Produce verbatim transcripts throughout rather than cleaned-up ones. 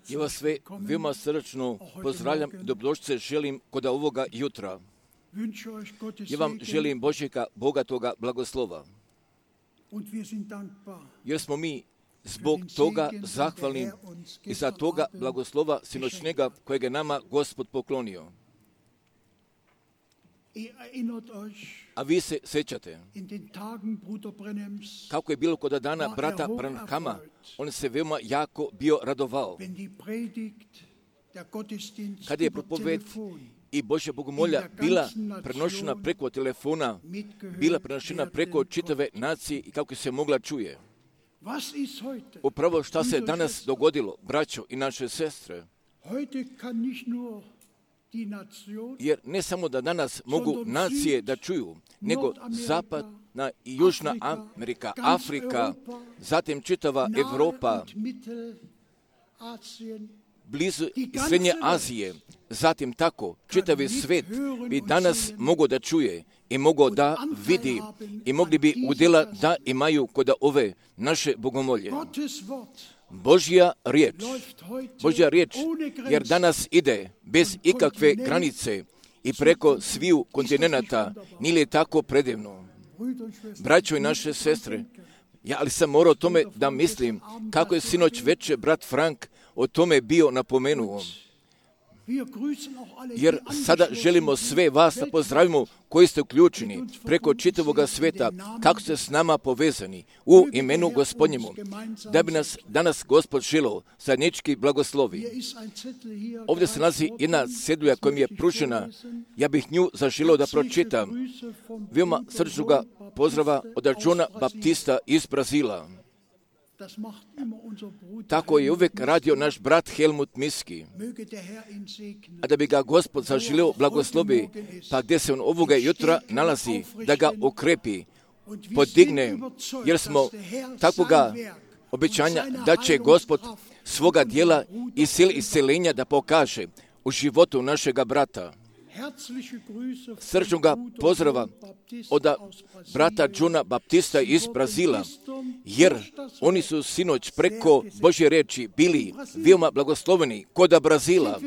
Ja vas sve veoma srdačno pozdravljam i dobrodošlice želim kod ovoga jutra. Ja vam želim Božjega bogatoga blagoslova. Jer smo mi zbog toga zahvalni i za toga blagoslova sinoćnjega kojeg je nama Gospod poklonio. A vi se sjećate kako je bilo kod dana brata Branhama, on se veoma jako bio radovao. Kada je propoved i Božja bogomolja bila prenošena preko telefona, bila prenošena preko čitave nacije i kako se mogla čuje. Upravo šta se danas dogodilo, braćo i naše sestre, jer ne samo da danas mogu nacije da čuju, nego zapadna i južna Amerika, Afrika, zatim čitava Evropa, blizu i srednje Azije, zatim tako čitavi svet bi danas mogo da čuje i mogo da vidi i mogli bi udjela da imaju kod ove naše bogomolje. Božja riječ, Božja riječ, jer danas ide bez ikakve granice i preko sviju kontinenata, nije li tako predivno? Braćo i naše sestre, ja ali sam morao o tome da mislim kako je sinoć večer brat Frank o tome bio napomenuo. Jer sada želimo sve vas da pozdravimo koji ste uključeni preko čitavoga sveta, kako ste s nama povezani u imenu Gospodnjemu, da bi nas danas Gospod želeo zajednički blagoslovi. Ovdje se nalazi jedna cedulja koja mi je pružena, ja bih nju zaželio da pročitam. Veoma srčnoga pozdrava od Johna Baptista iz Brazila. Tako je uvijek radio naš brat Helmut Miski. A da bi ga Gospod zaželio blagoslovi, pa gdje se on ovoga jutra nalazi, da ga okrepi, podigne, jer smo takvoga obećanja da će Gospod svoga dijela i sil iscelenja da pokaže u životu našega brata. Srčnoga pozdrava od brata Johna Baptista iz Brazila, jer oni su sinoć preko Božje reči bili veoma blagosloveni kod Brazila.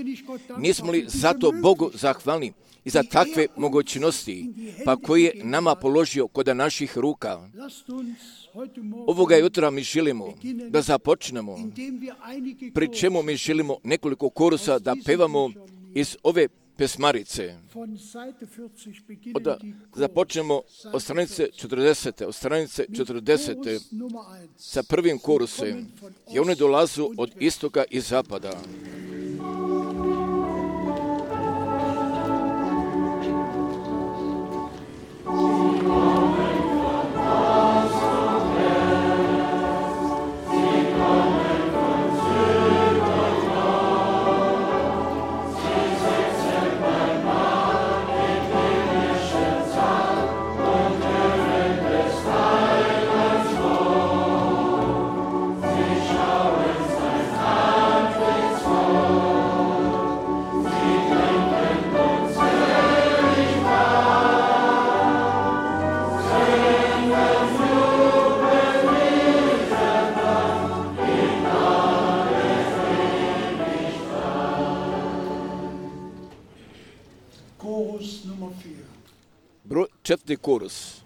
Nismo li zato Bogu zahvalni i za takve mogućnosti, pa koji je nama položio kod naših ruka. Ovoga jutra mi želimo da započnemo, pri čemu mi želimo nekoliko korusa da pevamo iz ove pesmarice. Onda započnemo od stranice četrdesete, od stranice četrdesete sa prvim korusem, i one dolazu od istoka i zapada. Četvrti korus.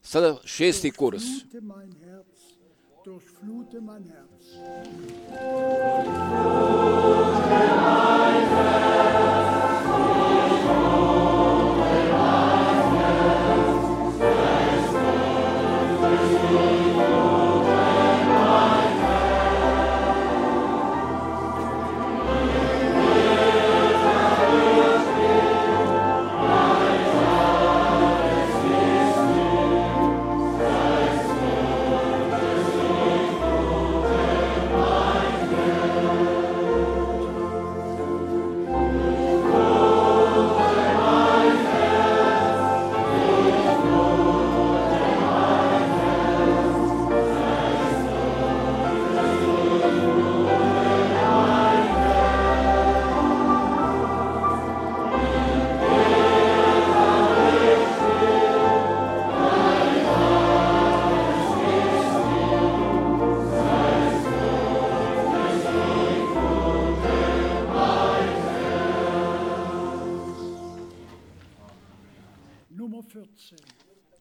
Sada šesti kurs. Durchflute mein Herz.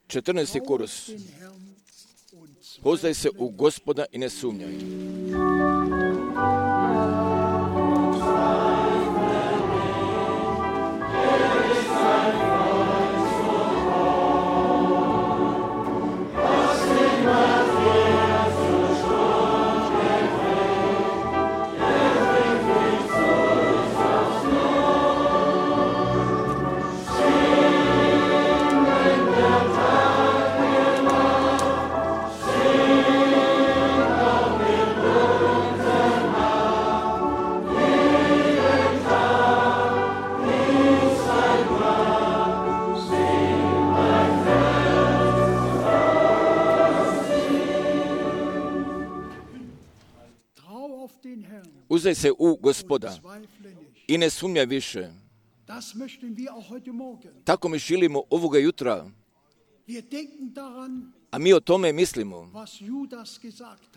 četrnaesti kurs. Poznaj se u Gospoda i ne sumnjaj. Uzdaj se u Gospoda i ne sumnjaj više. Tako mi želimo ovoga jutra, a mi o tome mislimo.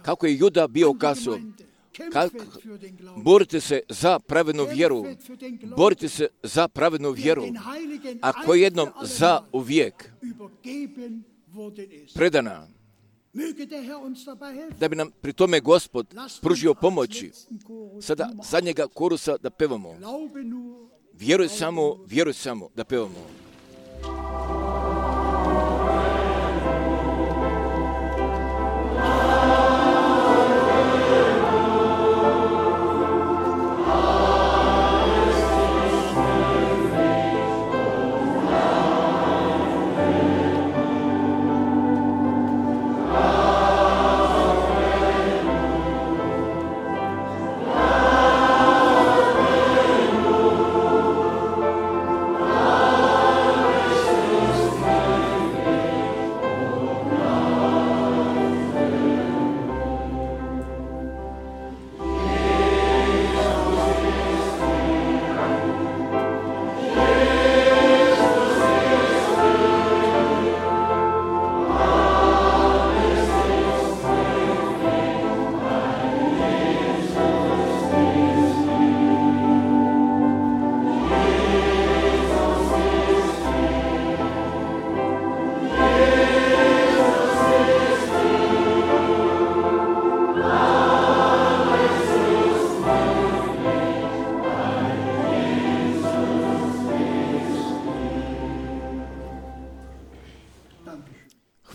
Kako je Juda bio kazao, kako borite se za pravednu vjeru, borite se za pravednu vjeru, ako je jednom za uvijek predana, da bi nam pri tome Gospod pružio pomoći. Sada zadnjega korusa da pevamo. Vjeruj samo, vjeruj samo da pevamo.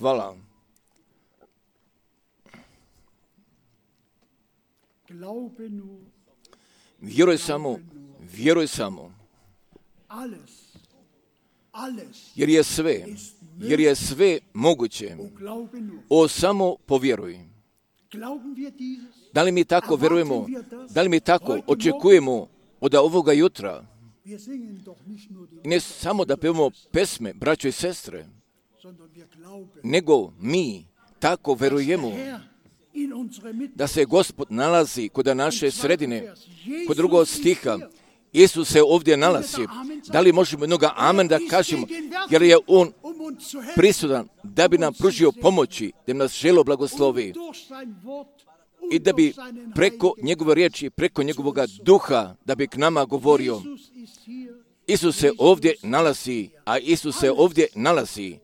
Hvala. Vjeruj samo, vjeruj samo. Jer je sve, jer je sve moguće. O, samo povjeruj. Da li mi tako vjerujemo? Da li mi tako očekujemo od ovoga jutra? I ne samo da pevamo pesme, braćo i sestre, nego mi tako vjerujemo da se Gospod nalazi kod naše sredine. Kod drugog stiha, Isus se ovdje nalazi. Da li možemo jednoga amen da kažemo, jer je On prisutan da bi nam pružio pomoći, da nas želo blagoslovi i da bi preko njegove riječi, preko njegovog duha, da bi k nama govorio. Isus se ovdje nalazi, a Isus se ovdje nalazi.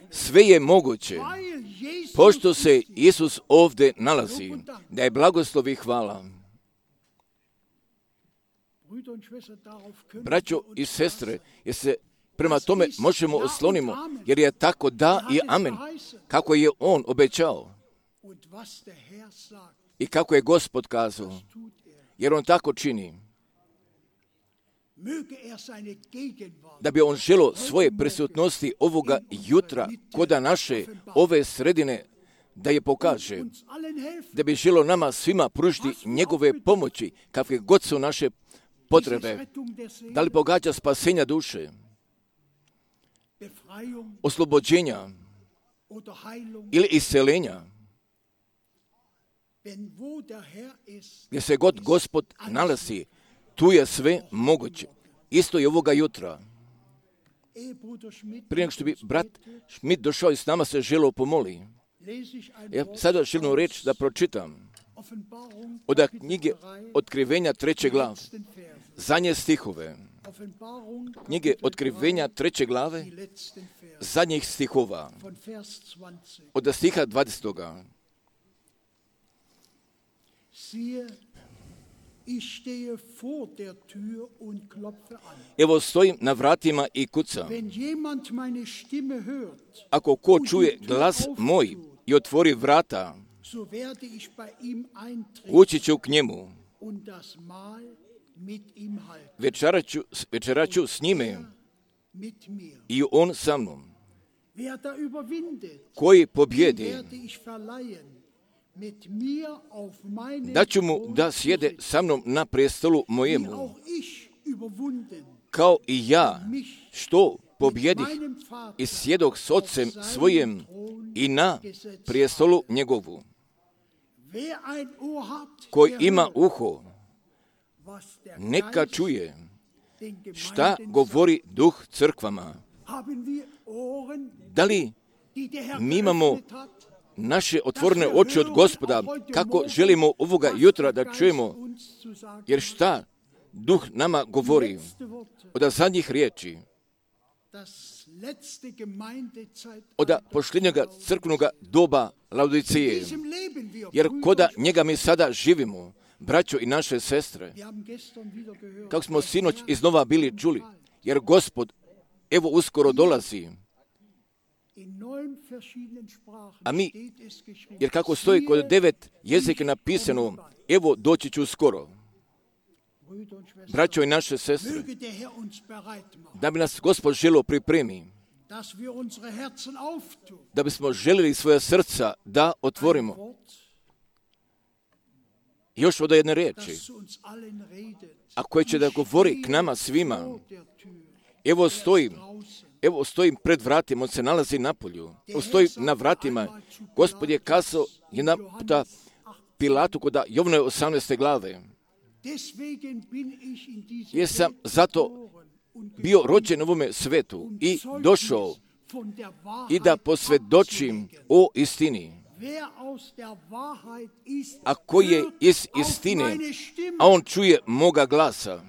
Sve je moguće, pošto se Isus ovdje nalazi. Da je blagoslov i hvala. Braćo i sestre, jer se prema tome možemo oslonimo, jer je tako da i amen, kako je On obećao i kako je Gospod kazao, jer On tako čini. Da bi On želo svoje prisutnosti ovoga jutra koda naše ove sredine da je pokaže, da bi želo nama svima pružiti njegove pomoći kakve god su naše potrebe, da li pogađa spasenja duše, oslobođenja ili isceljenja, gdje se god Gospod nalazi, tu je sve moguće. Isto je ovoga jutra. Prije nego što bi brat Schmidt došao i s nama se želio pomoli. Ja sada želim reći da pročitam od knjige Otkrivenja treće glave, zadnje stihove. knjige Otkrivenja treće glave, zadnjih stihova, od stiha dvadesetoga. Evo stojim na vratima i kucam. Ako ko čuje glas moj i otvori vrata, ući ću k njemu. Večeraću, večeraću s njime i on sa mnom. Koji pobjedi, daću mu da sjede sa mnom na prestolu mojemu, kao i ja, što pobjedih i sjedoh s ocem svojim i na prestolu njegovu. Koji ima uho, neka čuje šta govori Duh crkvama. Da li mi imamo naše otvorene oči od Gospoda, kako želimo ovoga jutra da čujemo, jer šta Duh nama govori od zadnjih riječi, od posljednjega crkvenoga doba Laodicije, jer koda njega mi sada živimo, braćo i naše sestre, kako smo sinoć iznova bili čuli, jer Gospod evo uskoro dolazi. A mi, jer kako stoji kod devet jezika napisano, evo doći ću skoro. Braćo i naše sestre, da bi nas Gospod želio pripremi, da bismo željeli svoja srca da otvorimo. Još od jedne riječi, a koje će da govori k nama svima. Evo stojim, evo stojim pred vratima, on se nalazi na polju. Evo stojim na vratima. Gospod je kazao jedan puta Pilatu kod Jovnove osamnaeste glave. Jesam zato bio rođen u ovome svetu i došao i da posvjedočim o istini. A koji je iz istine, a on čuje moga glasa.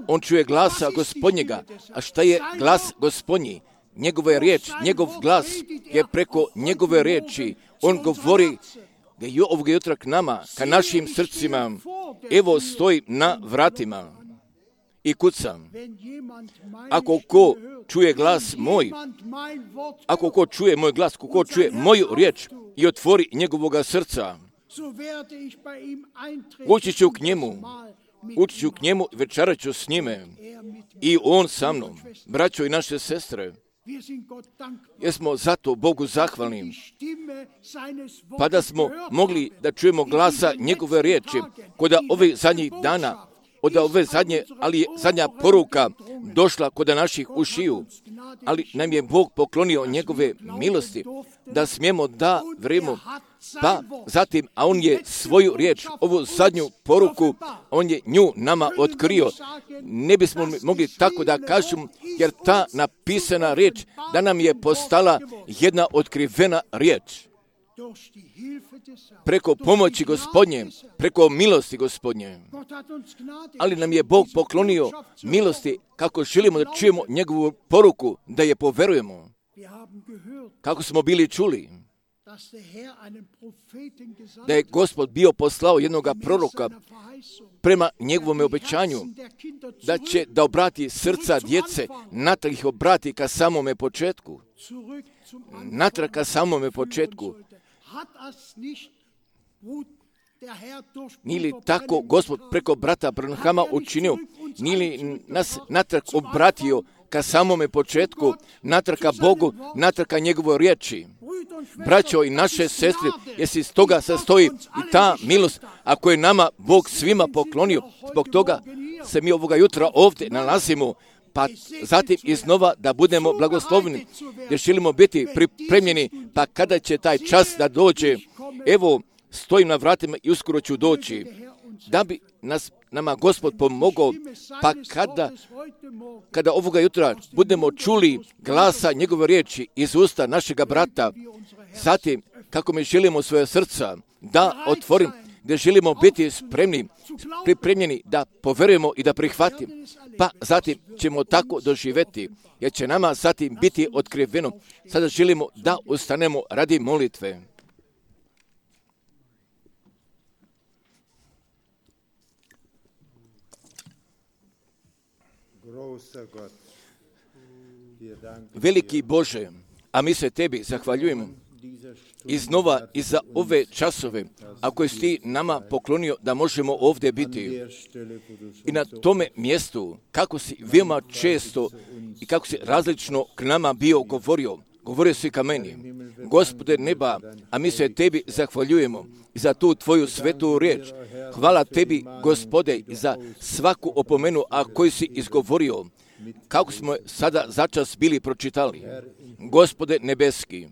On čuje glasa Gospodnjega. A šta je glas Gospodnji? Njegova je riječ, njegov glas je preko njegove riječi. On govori da je ovoga jutra k nama, ka našim srcima. Evo stoji na vratima i kucam. Ako ko čuje glas moj, ako ko čuje moj glas, ako ko čuje moju riječ i otvori njegovoga srca, ući ću k njemu, ući ću k njemu i večerat ću s njime i on sa mnom. Braćo i naše sestre, jesmo zato Bogu zahvalni, pa da smo mogli da čujemo glasa njegove riječi kod ovih zadnjih dana, od ove zadnje, ali je zadnja poruka došla kod naših ušiju, ali nam je Bog poklonio njegove milosti, da smijemo da vrijemo, pa zatim, a on je svoju riječ, ovu zadnju poruku, on je nju nama otkrio. Ne bismo mogli tako da kažemo, jer ta napisana riječ da nam je postala jedna otkrivena riječ. Preko pomoći Gospodnje, preko milosti Gospodnje. Ali nam je Bog poklonio milosti kako želimo da čujemo njegovu poruku, da je poverujemo. Kako smo bili čuli, da je Gospod bio poslao jednoga proroka prema njegovom obećanju, da će da obrati srca djece, natrag ih obrati ka samome početku. Natrag ka samome početku. Nije li tako Gospod preko brata Branhama učinio? Nije li nas natrag obratio ka samome početku, natrag ka Bogu, natrag ka njegovoj riječi? Braćo i naše sestre, jesi iz toga sastoji i ta milost, ako je nama Bog svima poklonio, zbog toga se mi ovoga jutra ovdje nalazimo, pa zatim iznova da budemo blagosloveni, jer želimo biti pripremljeni, pa kada će taj čas da dođe, evo, stojim na vratima i uskoro ću doći, da bi nas, nama Gospod pomogao, pa kada, kada ovoga jutra budemo čuli glasa njegove riječi iz usta našega brata, zatim, kako mi želimo svoje srca da otvorim, gdje želimo biti spremni, pripremljeni da poverujemo i da prihvatimo. Pa zatim ćemo tako doživjeti, jer će nama zatim biti otkriveno. Sada želimo da ustanemo radi molitve. Veliki Bože, a mi se Tebi zahvaljujemo iznova i za ove časove, ako si Ti nama poklonio da možemo ovdje biti. I na tome mjestu, kako si veoma često i kako si različno k nama bio govorio, govorio si ka meni. Gospode neba, a mi se Tebi zahvaljujemo za tu Tvoju svetu riječ. Hvala Tebi, Gospode, za svaku opomenu, a koju si izgovorio, kako smo sada začas bili pročitali. Gospode nebeski,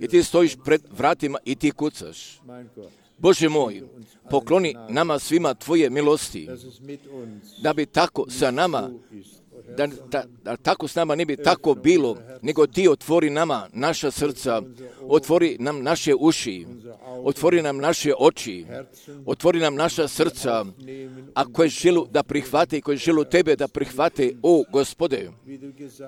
i Ti stojiš pred vratima i Ti kucaš. Bože moj, pokloni nama svima Tvoje milosti, da bi tako sa nama, da, da, da tako s nama ne bi tako bilo, nego Ti otvori nama naša srca, otvori nam naše uši, otvori nam naše oči, otvori nam naša srca, a koje želu da prihvate i koje želu Tebe da prihvate, o Gospode,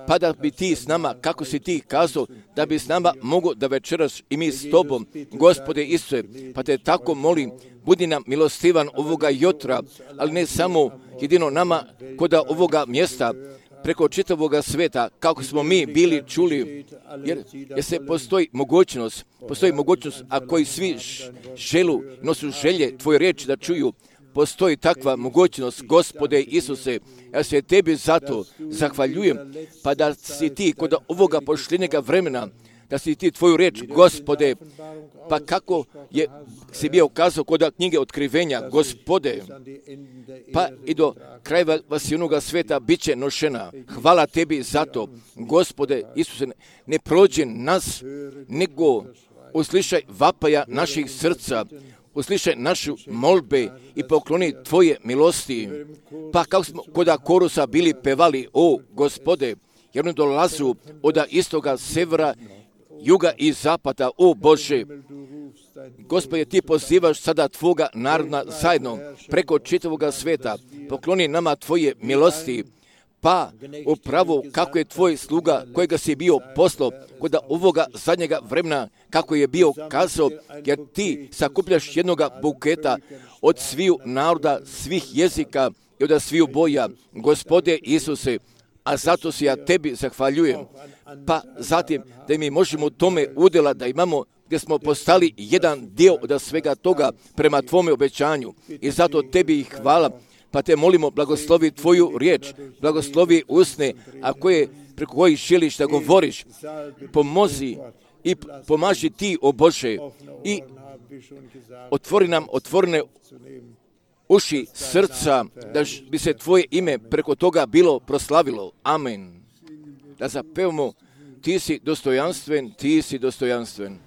pa da bi Ti s nama, kako si Ti kazao, da bi s nama mogo da večeras i mi s Tobom, Gospode Isuse, pa Te tako molim, budi nam milostivan ovoga jutra, ali ne samo jedino nama koda ovoga mjesta, preko čitavoga sveta, kako smo mi bili čuli, jer, jer se postoji mogućnost, postoji mogućnost, a koji svi želu, nosu želje Tvoje riječi da čuju, postoji takva mogućnost, Gospode Isuse, ja se Tebi zato zahvaljujem, pa da si Ti kod ovoga pošljenjega vremena, da si Ti Tvoju riječ, Gospode, pa kako je si bio kazao kod knjige otkrivenja, Gospode, pa i do kraja vasijunoga sveta bit će nošena. Hvala Tebi za to, Gospode Isuse, ne prođi nas, nego uslišaj vapaja naših srca, uslišaj našu molbe i pokloni Tvoje milosti. Pa kako smo kod korusa bili pevali, o Gospode, jer oni dolazu od istoga, severa, juga i zapada, o Bože. Gospode, Ti pozivaš sada Tvoga naroda zajedno preko čitavoga sveta. Pokloni nama Tvoje milosti, pa upravo kako je Tvoj sluga kojega si bio poslao kod ovoga zadnjega vremena, kako je bio kazao, jer Ti sakupljaš jednoga buketa od sviju naroda, svih jezika i od sviju boja, Gospode Isuse, a zato se ja Tebi zahvaljujem. Pa zatim da mi možemo tome udjela da imamo, gdje smo postali jedan dio od svega toga prema Tvome obećanju. I zato Tebi ih hvala, pa Te molimo, blagoslovi Tvoju riječ, blagoslovi usne, a koje, preko kojih želiš da govoriš, pomozi i pomaži Ti, o Bože, i otvori nam otvorene uši srca, da bi se Tvoje ime preko toga bilo proslavilo. Amen. Da zapevamo, Ti si dostojanstven, Ti si dostojanstven.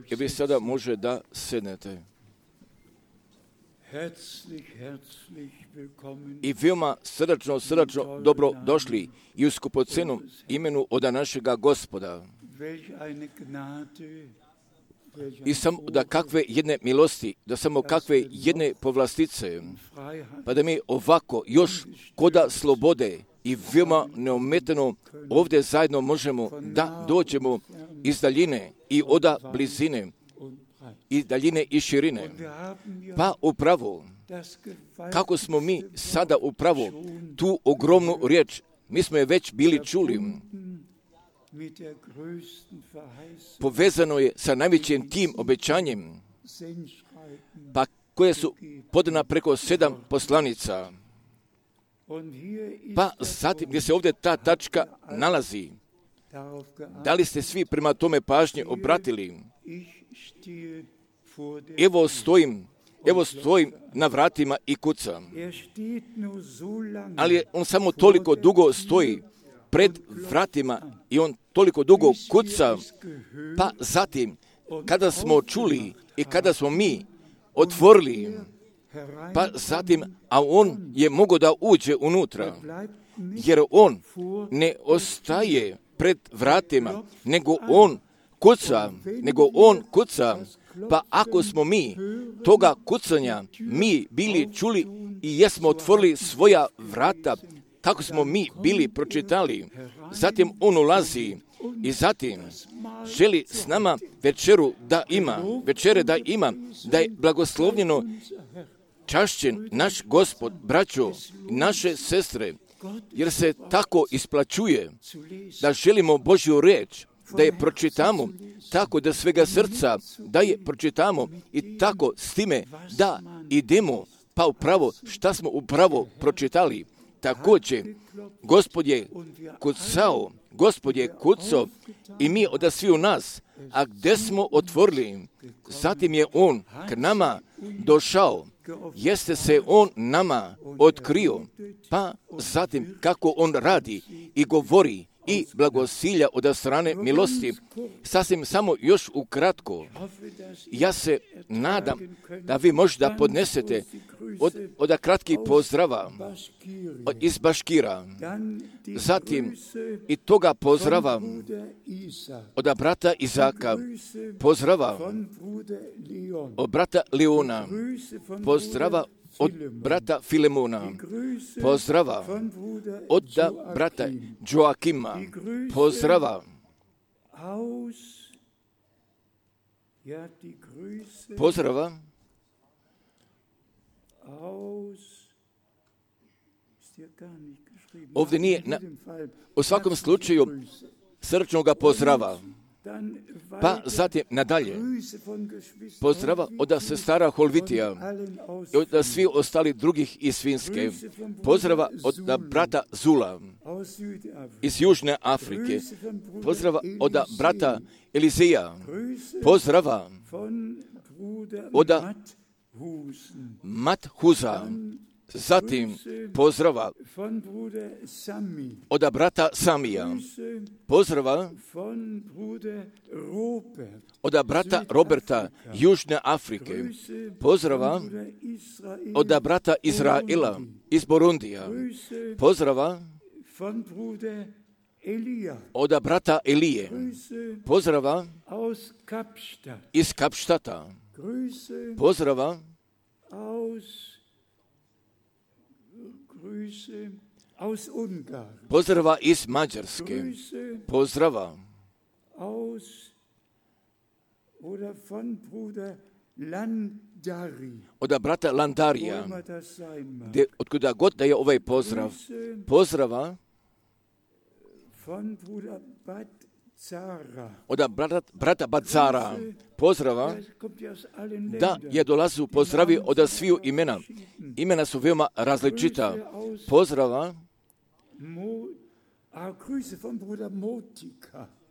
I vi sada može da sednete. I veoma srdačno, srdačno dobro došli i u skupocenom imenu od našega Gospoda. I samo da kakve jedne milosti, da samo kakve jedne povlastice, pa da mi ovako još koda slobode i veoma neometano ovdje zajedno možemo da dođemo iz daljine i oda blizine, i daljine i širine. Pa upravo, kako smo mi sada upravo tu ogromnu riječ, mi smo je već bili čuli, povezano je sa najvećim tim obećanjem, pa koje su podana preko sedam poslanica. Pa zatim gdje se ovdje ta tačka nalazi, da li ste svi prema tome pažnje obratili? Evo stojim, evo stojim na vratima i kucam. Ali on samo toliko dugo stoji pred vratima i on toliko dugo kuca, pa zatim kada smo čuli i kada smo mi otvorili, pa zatim, a on je mogao da uđe unutra, jer on ne ostaje pred vratima, nego on kuca, nego on kuca, pa ako smo mi toga kucanja mi bili čuli i jesmo otvorili svoja vrata, kako smo mi bili pročitali, zatim on ulazi i zatim želi s nama večeru da ima, večere da ima, da je blagoslovljeno čašćen naš Gospod, braćo, naše sestre, jer se tako isplaćuje da želimo Božju riječ, da je pročitamo, tako da svega srca, da je pročitamo i tako s time da idemo, pa upravo šta smo upravo pročitali. Također, Gospod je kucao, Gospod je kucao i mi od sviju nas, a gdje smo otvorili, zatim je on k nama došao, jeste se on nama otkrio, pa zatim kako on radi i govori i blagosilja od strane milosti. Sasvim samo još ukratko, ja se nadam da vi možda podnesete od, od kratkih pozdrava od, iz Baškira, zatim i toga pozdrava od brata Izaka, pozdrava od brata Leona, pozdrava od brata Filemona, pozdrava od brata Joakima, pozdrava pozdrava ovdje nije na, u svakom slučaju srčnoga pozdrava. Pa zatim nadalje, pozdrava od sestara Holvitija i od svi ostali drugih iz Finske, pozdrava od brata Zula iz Južne Afrike, pozdrava od brata Elizeja, pozdrava od Mathuza, zatim pozdrava od brata Samija, pozdrava od brata Roberta Južne Afrike, pozdrava od brata Izraela iz Burundija, pozdrava od brata Elije, pozdrava iz Kapštata, pozdrava pozdrava iz Mađarske, pozdrava od brata Landarija, gdje, otkuda god da je ovaj pozdrav, pozdrava od brata, brata Badzara, pozdrava, da je dolazu pozdravi od sviju imena. Imena su veoma različita. Pozdrava,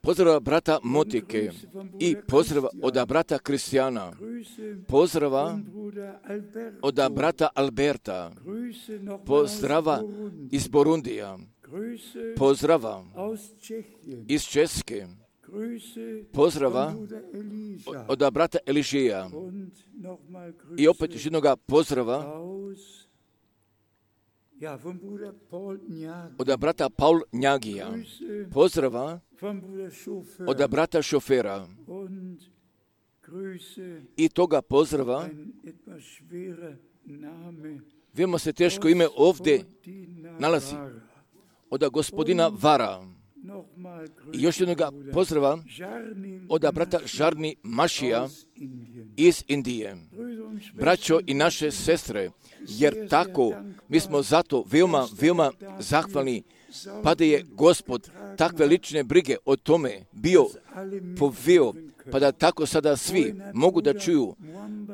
pozdrava brata Motike i pozdrava od brata Kristijana, pozdrava od brata Alberta, pozdrava iz Burundija, pozdrava iz Česke, pozdrava od brata Eližeja i opet još jednoga pozdrava od brata Paul Njagija, pozdrava od brata Šofera i toga pozdrava. Vemo se teško ime ovdje nalazi. od gospodina Vara. I još jednoga pozdrava od brata Žarni Mašija iz Indije. Braćo i naše sestre, jer tako mi smo zato veoma, veoma zahvalni, pa da je Gospod takve lične brige o tome bio poveo, pa da tako sada svi mogu da čuju.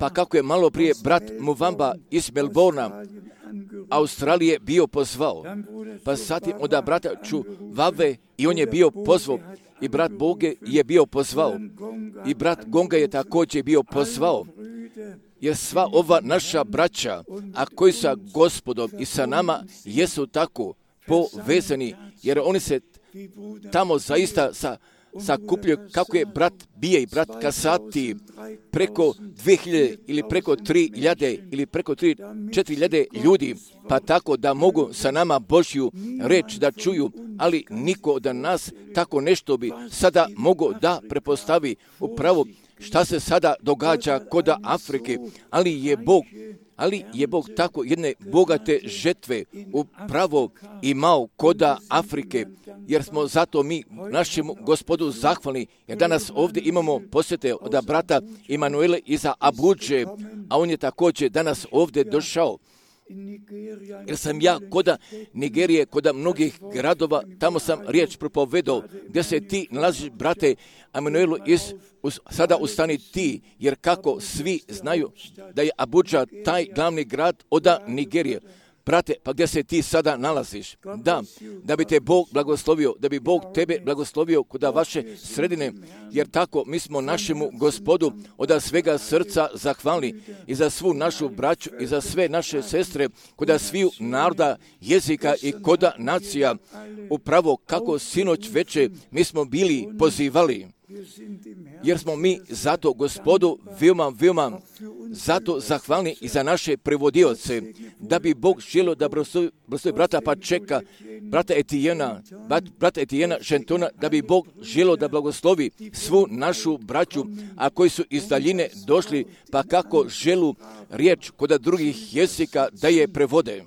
Pa kako je malo prije brat Muvamba iz Melbourna, Australije, bio pozvao, pa zatim od brata Čuvave i on je bio pozvao, i brat Boge je bio pozvao, i brat Gonga je također bio pozvao, jer sva ova naša braća, a koji sa Gospodom i sa nama, jesu tako povezani, jer oni se tamo zaista sa sakupljaju, kako je brat Bije i brat Kasati, preko dve hiljade ili preko tri hiljade ili preko tri, četiri hiljade ljudi, pa tako da mogu sa nama Božju reč da čuju, ali niko od nas tako nešto bi sada mogo da prepostavi upravo šta se sada događa kod Afrike, ali je Bog Ali je Bog tako jedne bogate žetve upravo imao kod Afrike, jer smo zato mi našemu Gospodu zahvalni, jer danas ovdje imamo posjete od brata Emanuele iza Abudže, a on je također danas ovdje došao. Jer sam ja kod Nigerije, kod mnogih gradova, tamo sam riječ propovedao, gdje se ti nalaziš, brate Emanuelu, iz, us, sada ustani ti, jer kako svi znaju da je Abudža taj glavni grad od Nigerije. Brate, pa gdje se ti sada nalaziš? Da, da bi te Bog blagoslovio, da bi Bog tebe blagoslovio kod vaše sredine, jer tako mi smo našemu Gospodu od svega srca zahvalni i za svu našu braću i za sve naše sestre kod sviju naroda, jezika i kod nacija. Upravo kako sinoć veče mi smo bili pozivali, jer smo mi zato Gospodu veoma, veoma zato zahvalni i za naše prevodioce, da bi Bog želio da blagoslovi brata Pačeka, brata Etijena, brata Etijena Žentona, da bi Bog želio da blagoslovi svu našu braću, a koji su iz daljine došli, pa kako želu riječ kod drugih jezika da je prevode.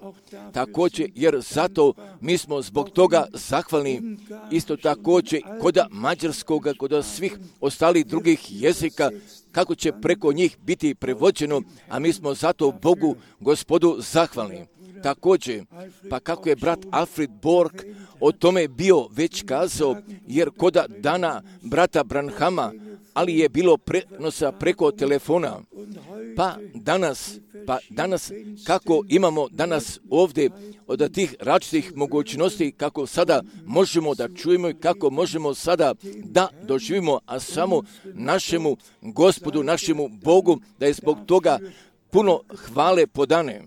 Također, jer zato mi smo zbog toga zahvalni, isto također kod mađarskog, kod svih ostalih drugih jezika, kako će preko njih biti prevođeno, a mi smo zato Bogu, Gospodu, zahvalni. Također, pa kako je brat Alfred Borg o tome bio već kazao, jer kod dana brata Branhama, ali je bilo prenosa preko telefona, pa danas, pa danas, kako imamo danas ovdje od tih različitih mogućnosti, kako sada možemo da čujemo i kako možemo sada da doživimo, a samo našemu Gospodu, našemu Bogu, da je zbog toga puno hvale podane.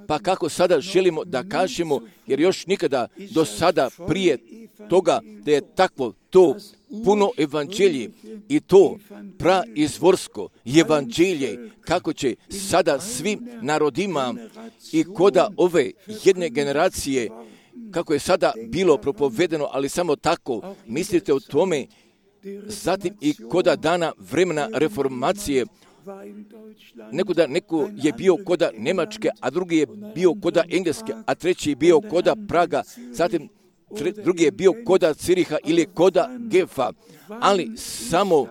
Pa kako sada želimo da kažemo, jer još nikada do sada prije toga da je takvo to puno evanđelje i to praizvorsko evanđelje, kako će sada svim narodima i koda ove jedne generacije, kako je sada bilo propovedeno, ali samo tako, mislite o tome, zatim i koda dana vremena reformacije, Neko da neko je bio koda Njemačke, a drugi je bio koda Engleske, a treći je bio koda Praga, zatim tre, drugi je bio koda Ciriha ili koda Gefa, ali samo,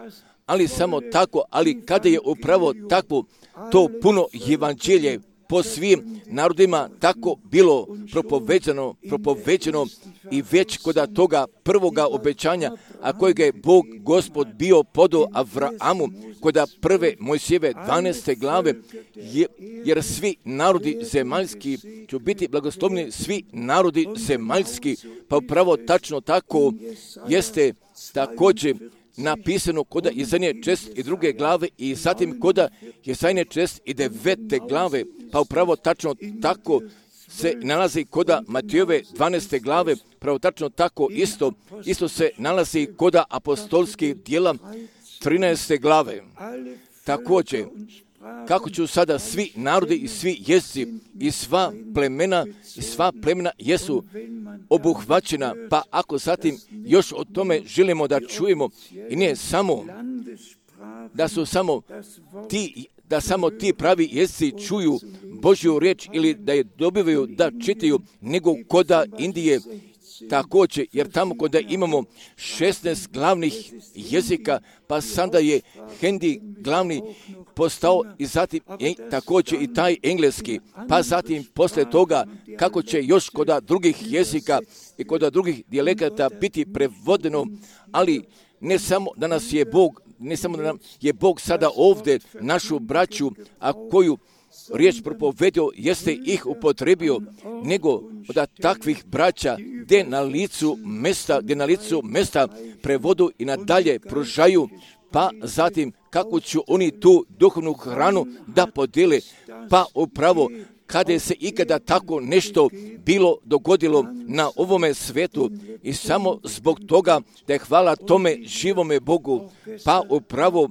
ali samo tako, ali kada je upravo takvo to puno evanđelje po svim narodima tako bilo propoveđeno, propoveđeno i već kod toga prvoga obećanja, a kojega je Bog Gospod bio podao Avrahamu, kod prve Mojsijeve dvanaeste glave, je, jer svi narodi zemaljski će biti blagoslovni, svi narodi zemaljski, pa upravo tačno tako jeste također napisano kod Jesaje čest i druge glave i zatim kod Jesaje čest i devete glave, pa upravo tačno tako se nalazi kod Matijove dvanaeste glave, pravo tačno tako isto, isto se nalazi kod apostolskih djela trinaeste glave. Također, kako ću sada svi narodi i svi jezici i sva plemena i sva plemena jesu obuhvaćena, pa ako zatim još o tome želimo da čujemo i nije samo da su samo ti da samo ti pravi jezici čuju Božju riječ ili da je dobivaju da čitaju, nego koda Indije također, jer tamo koda imamo šesnaest glavnih jezika, pa sada je hindi glavni postao i zatim je također i taj engleski, pa zatim poslije toga kako će još koda drugih jezika i koda drugih dijalekata biti prevodeno, ali ne samo da nas je Bog, ne samo da nam je Bog sada ovdje našu braću, a koju riječ propovedio jeste ih upotrebio, nego da takvih braća gdje na licu mesta, gdje na licu mesta prevodu i nadalje pružaju, pa zatim kako će oni tu duhovnu hranu da podijele, pa upravo kada se ikada tako nešto bilo dogodilo na ovome svetu i samo zbog toga da je hvala tome živome Bogu, pa upravo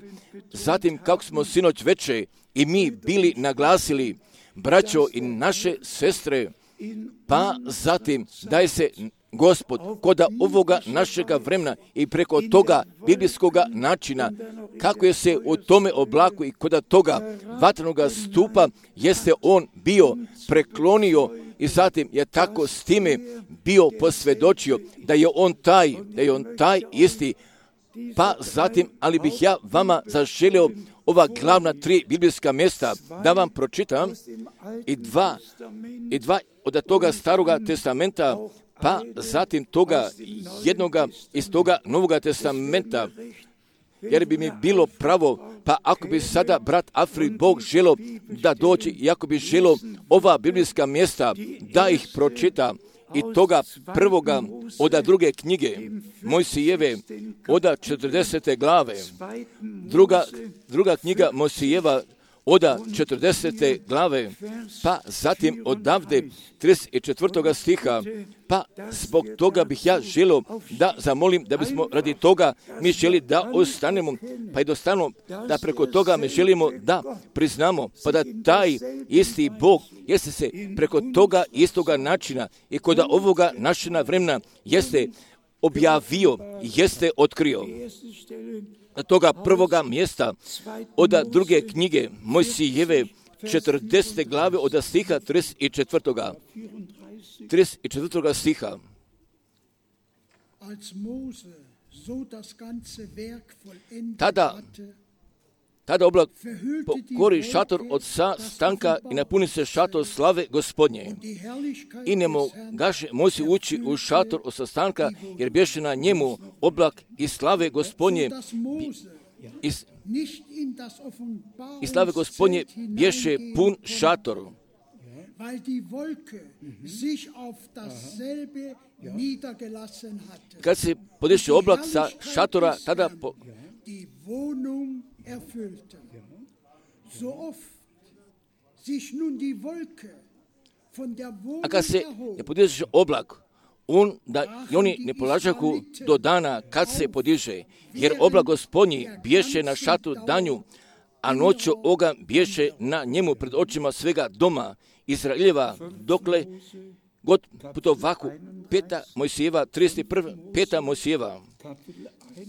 zatim kako smo sinoć veče i mi bili naglasili, braćo i naše sestre, pa zatim daje se Gospod koda ovoga našega vremena i preko toga biblijskoga načina, kako je se u tome oblaku i koda toga vatrenoga stupa jeste on bio preklonio i zatim je tako s time bio posvjedočio da je on taj, da je on taj isti. Pa zatim, ali bih ja vama zaželio ova glavna tri biblijska mjesta da vam pročitam i dva, i dva od toga staroga testamenta, pa zatim toga jednoga iz toga novoga testamenta, jer bi mi bilo pravo, pa ako bi sada brat Afri Bog želo da doći i ako bi želo ova biblijska mjesta da ih pročita, i toga prvoga oda druge knjige Mojsijeve oda četrdesete glave, druga, druga knjiga Mojsijeva oda četrdesete glave, pa zatim odavde trideset četvrtoga stiha, pa zbog toga bih ja želio da zamolim da bismo radi toga mi želi da ostanemo, pa i dostanemo da preko toga mi želimo da priznamo, pa da taj isti Bog jeste se preko toga istoga načina i kod ovoga našega vremena jeste objavio, jeste otkrio. Toga prvoga mjesta od druge knjige Mojsijeve četrdesete glave od stiha trideset četvrtoga trideset četvrtoga stiha. Tada Tada oblak pokori šator od sastanka i napuni se šator slave Gospodnje. I ne mogaše Mojsij ući u šator od sastanka, jer bješe na njemu oblak i slave Gospodnje. I, i slave Gospodnje bješe pun šator. Kad se podiše oblak sa šatora, tada po, erfüllte. So oft sich nun die Wolke von der Wohnung a kad se ne podiže oblak, on da i oni ne polažaku do dana kad se podiže, jer oblak Gospodnji bješe na šatu danju, a noću ogan bješe na njemu pred očima svega doma Izraeljeva, dokle god putovaku. Peta Mojsijeva, trideset prva, peta Mojsijeva,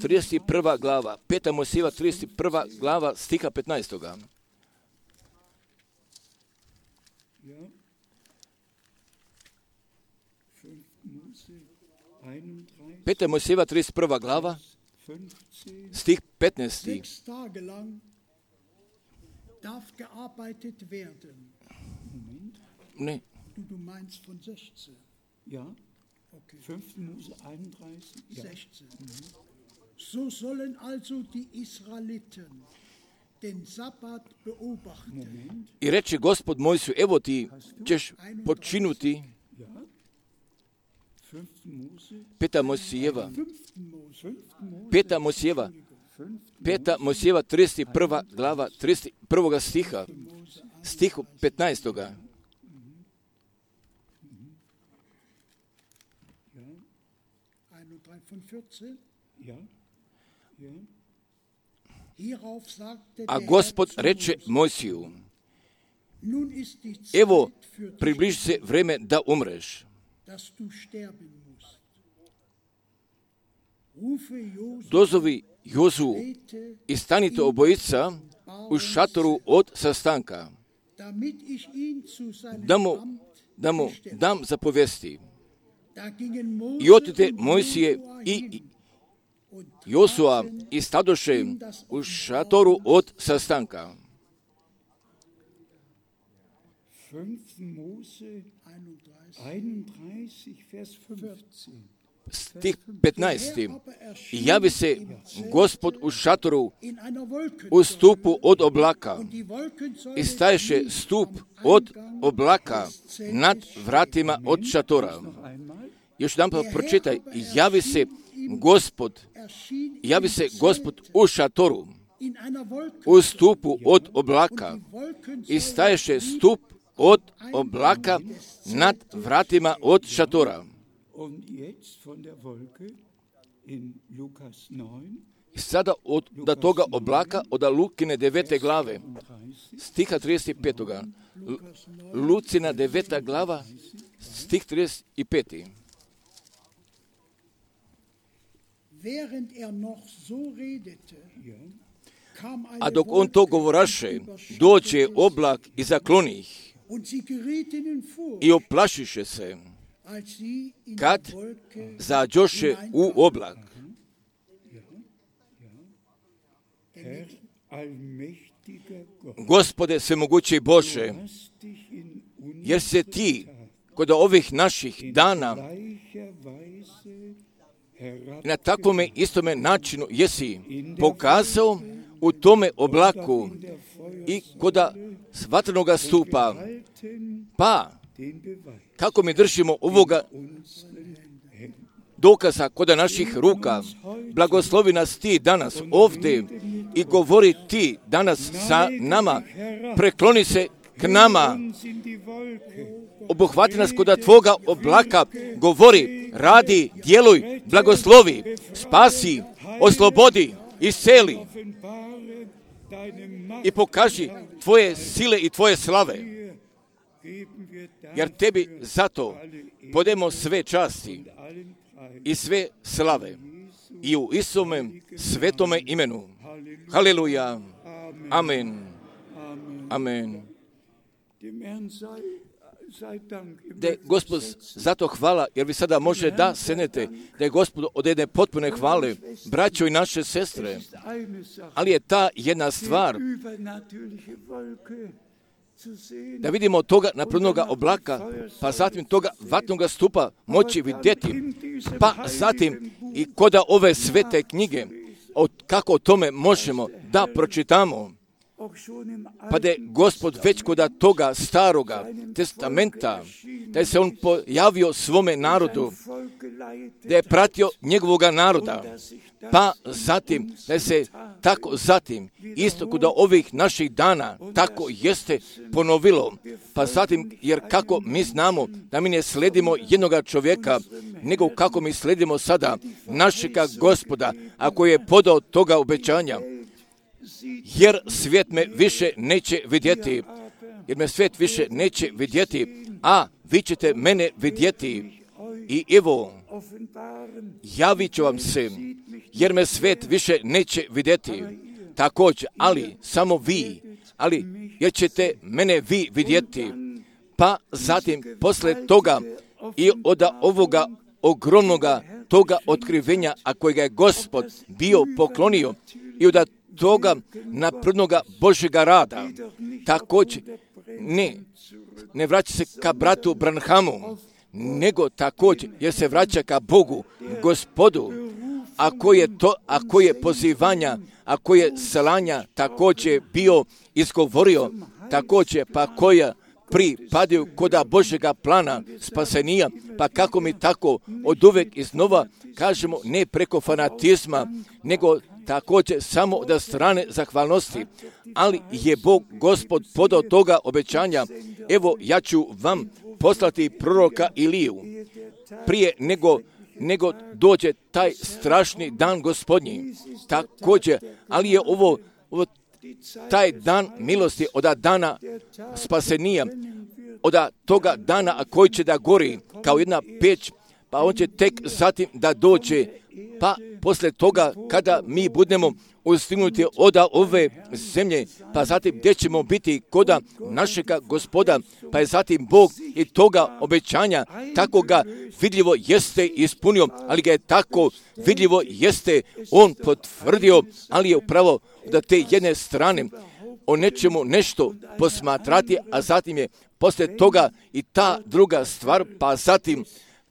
trideset prva glava, peta Mojsijeva, trideset prva glava, stiha petnaestoga. Peta Mojsijeva, trideset prva glava, stih petnaesti. Ne. Du meinst von sechzehn? Ja. Okay. fünfte Mose einunddreißig. Ja. sechzehn. Mhm. So sollen also die Israeliten den Sabbat beobachten. Moment. I reče Gospod Mojsiju, evo ti ćeš počinuti. Ja. fünfte Mose. Peta Mojsijeva. Peta Mojsijeva. Peta Mojsijeva, trideset prva glava, trideset prvoga stiha. Stihu petnaestoga. A Gospod reče Mojsiju, evo, približi se vreme da umreš. Dozovi Jozu i stanite obojica u šatoru od sastanka. da mu, da mu dam zapovesti. I otite Mojsije i Josua i stadoše u šatoru od sastanka. Stih petnaesti. I javi se Gospod u šatoru u stupu od oblaka i staješe stup od oblaka nad vratima od šatora. Još jedan pa pročitaj. I javi se Gospod, javi se Gospod u šatoru u stupu od oblaka i staješe stup od oblaka nad vratima od šatora. I sada od da toga oblaka, od Lukine devete glave, stiha trideset pet. Lucina deveta glava, stih trideset pet. A dok on to govoraše, dođe oblak i zakloni ih i oplašiše se, kad zađoše u oblak. Gospode svemogući Bože, jer se ti kod ovih naših dana na takvome istome načinu jesi pokazao u tome oblaku i kod vatrenog stupa, pa kako mi držimo ovoga dokaza kod naših ruka, blagoslovi nas ti danas ovdje i govori ti danas sa nama, prekloni se k nama, obuhvati nas kod tvoga oblaka, govori, radi, djeluj, blagoslovi, spasi, oslobodi, isceli i pokaži tvoje sile i tvoje slave. Jer tebi zato podemo sve časti i sve slave i u Isuse svetome imenu. Haleluja. Amen. Amen. Da je Gospod zato hvala, jer vi sada može da senete, da je Gospod od jedne potpune hvale, braćo i naše sestre, ali je ta jedna stvar, da vidimo toga naprednoga oblaka, pa zatim toga vatnoga stupa moći vidjeti, pa zatim i koda ove svete knjige, od kako o tome možemo da pročitamo, pa da je Gospod već kod toga staroga testamenta, da je se on pojavio svome narodu, da je pratio njegovoga naroda, pa zatim da je se tako zatim isto kod ovih naših dana tako jeste ponovilo, pa zatim jer kako mi znamo da mi ne sledimo jednoga čovjeka, nego kako mi sledimo sada našega Gospoda, ako je podao toga obećanja. Jer svijet me više neće vidjeti, jer me svijet više neće vidjeti, a vi ćete mene vidjeti. I evo, javit ću vam se, jer me svijet više neće vidjeti. Također, ali samo vi, ali jer ćete mene vi vidjeti. Pa zatim, posle toga i od ovoga ogromnoga toga otkrivenja, a kojega je Gospod bio poklonio i od toga naprednoga Božjega rada, također ne, ne vraća se ka bratu Branhamu, nego također jer se vraća ka Bogu, Gospodu, ako je to, ako je pozivanja, ako je slanja također bio izgovorio, također pa koja pripadaju koda Božjega plana spasenija, pa kako mi tako od uvek iznova kažemo ne preko fanatizma, nego također samo od strane zahvalnosti, ali je Bog Gospod podao toga obećanja, evo ja ću vam poslati proroka Iliju, prije nego, nego dođe taj strašni dan Gospodnji, također, ali je ovo, ovo taj dan milosti od dana spasenija, od toga dana koji će da gori kao jedna peć, pa on će tek zatim da dođe, pa posle toga kada mi budemo ustignuti od ove zemlje, pa zatim gdje ćemo biti koda našega Gospoda, pa je zatim Bog i toga obećanja tako ga vidljivo jeste ispunio, ali ga je tako vidljivo jeste on potvrdio, ali je upravo da te jedne strane o nečemu nešto posmatrati, a zatim je posle toga i ta druga stvar, pa zatim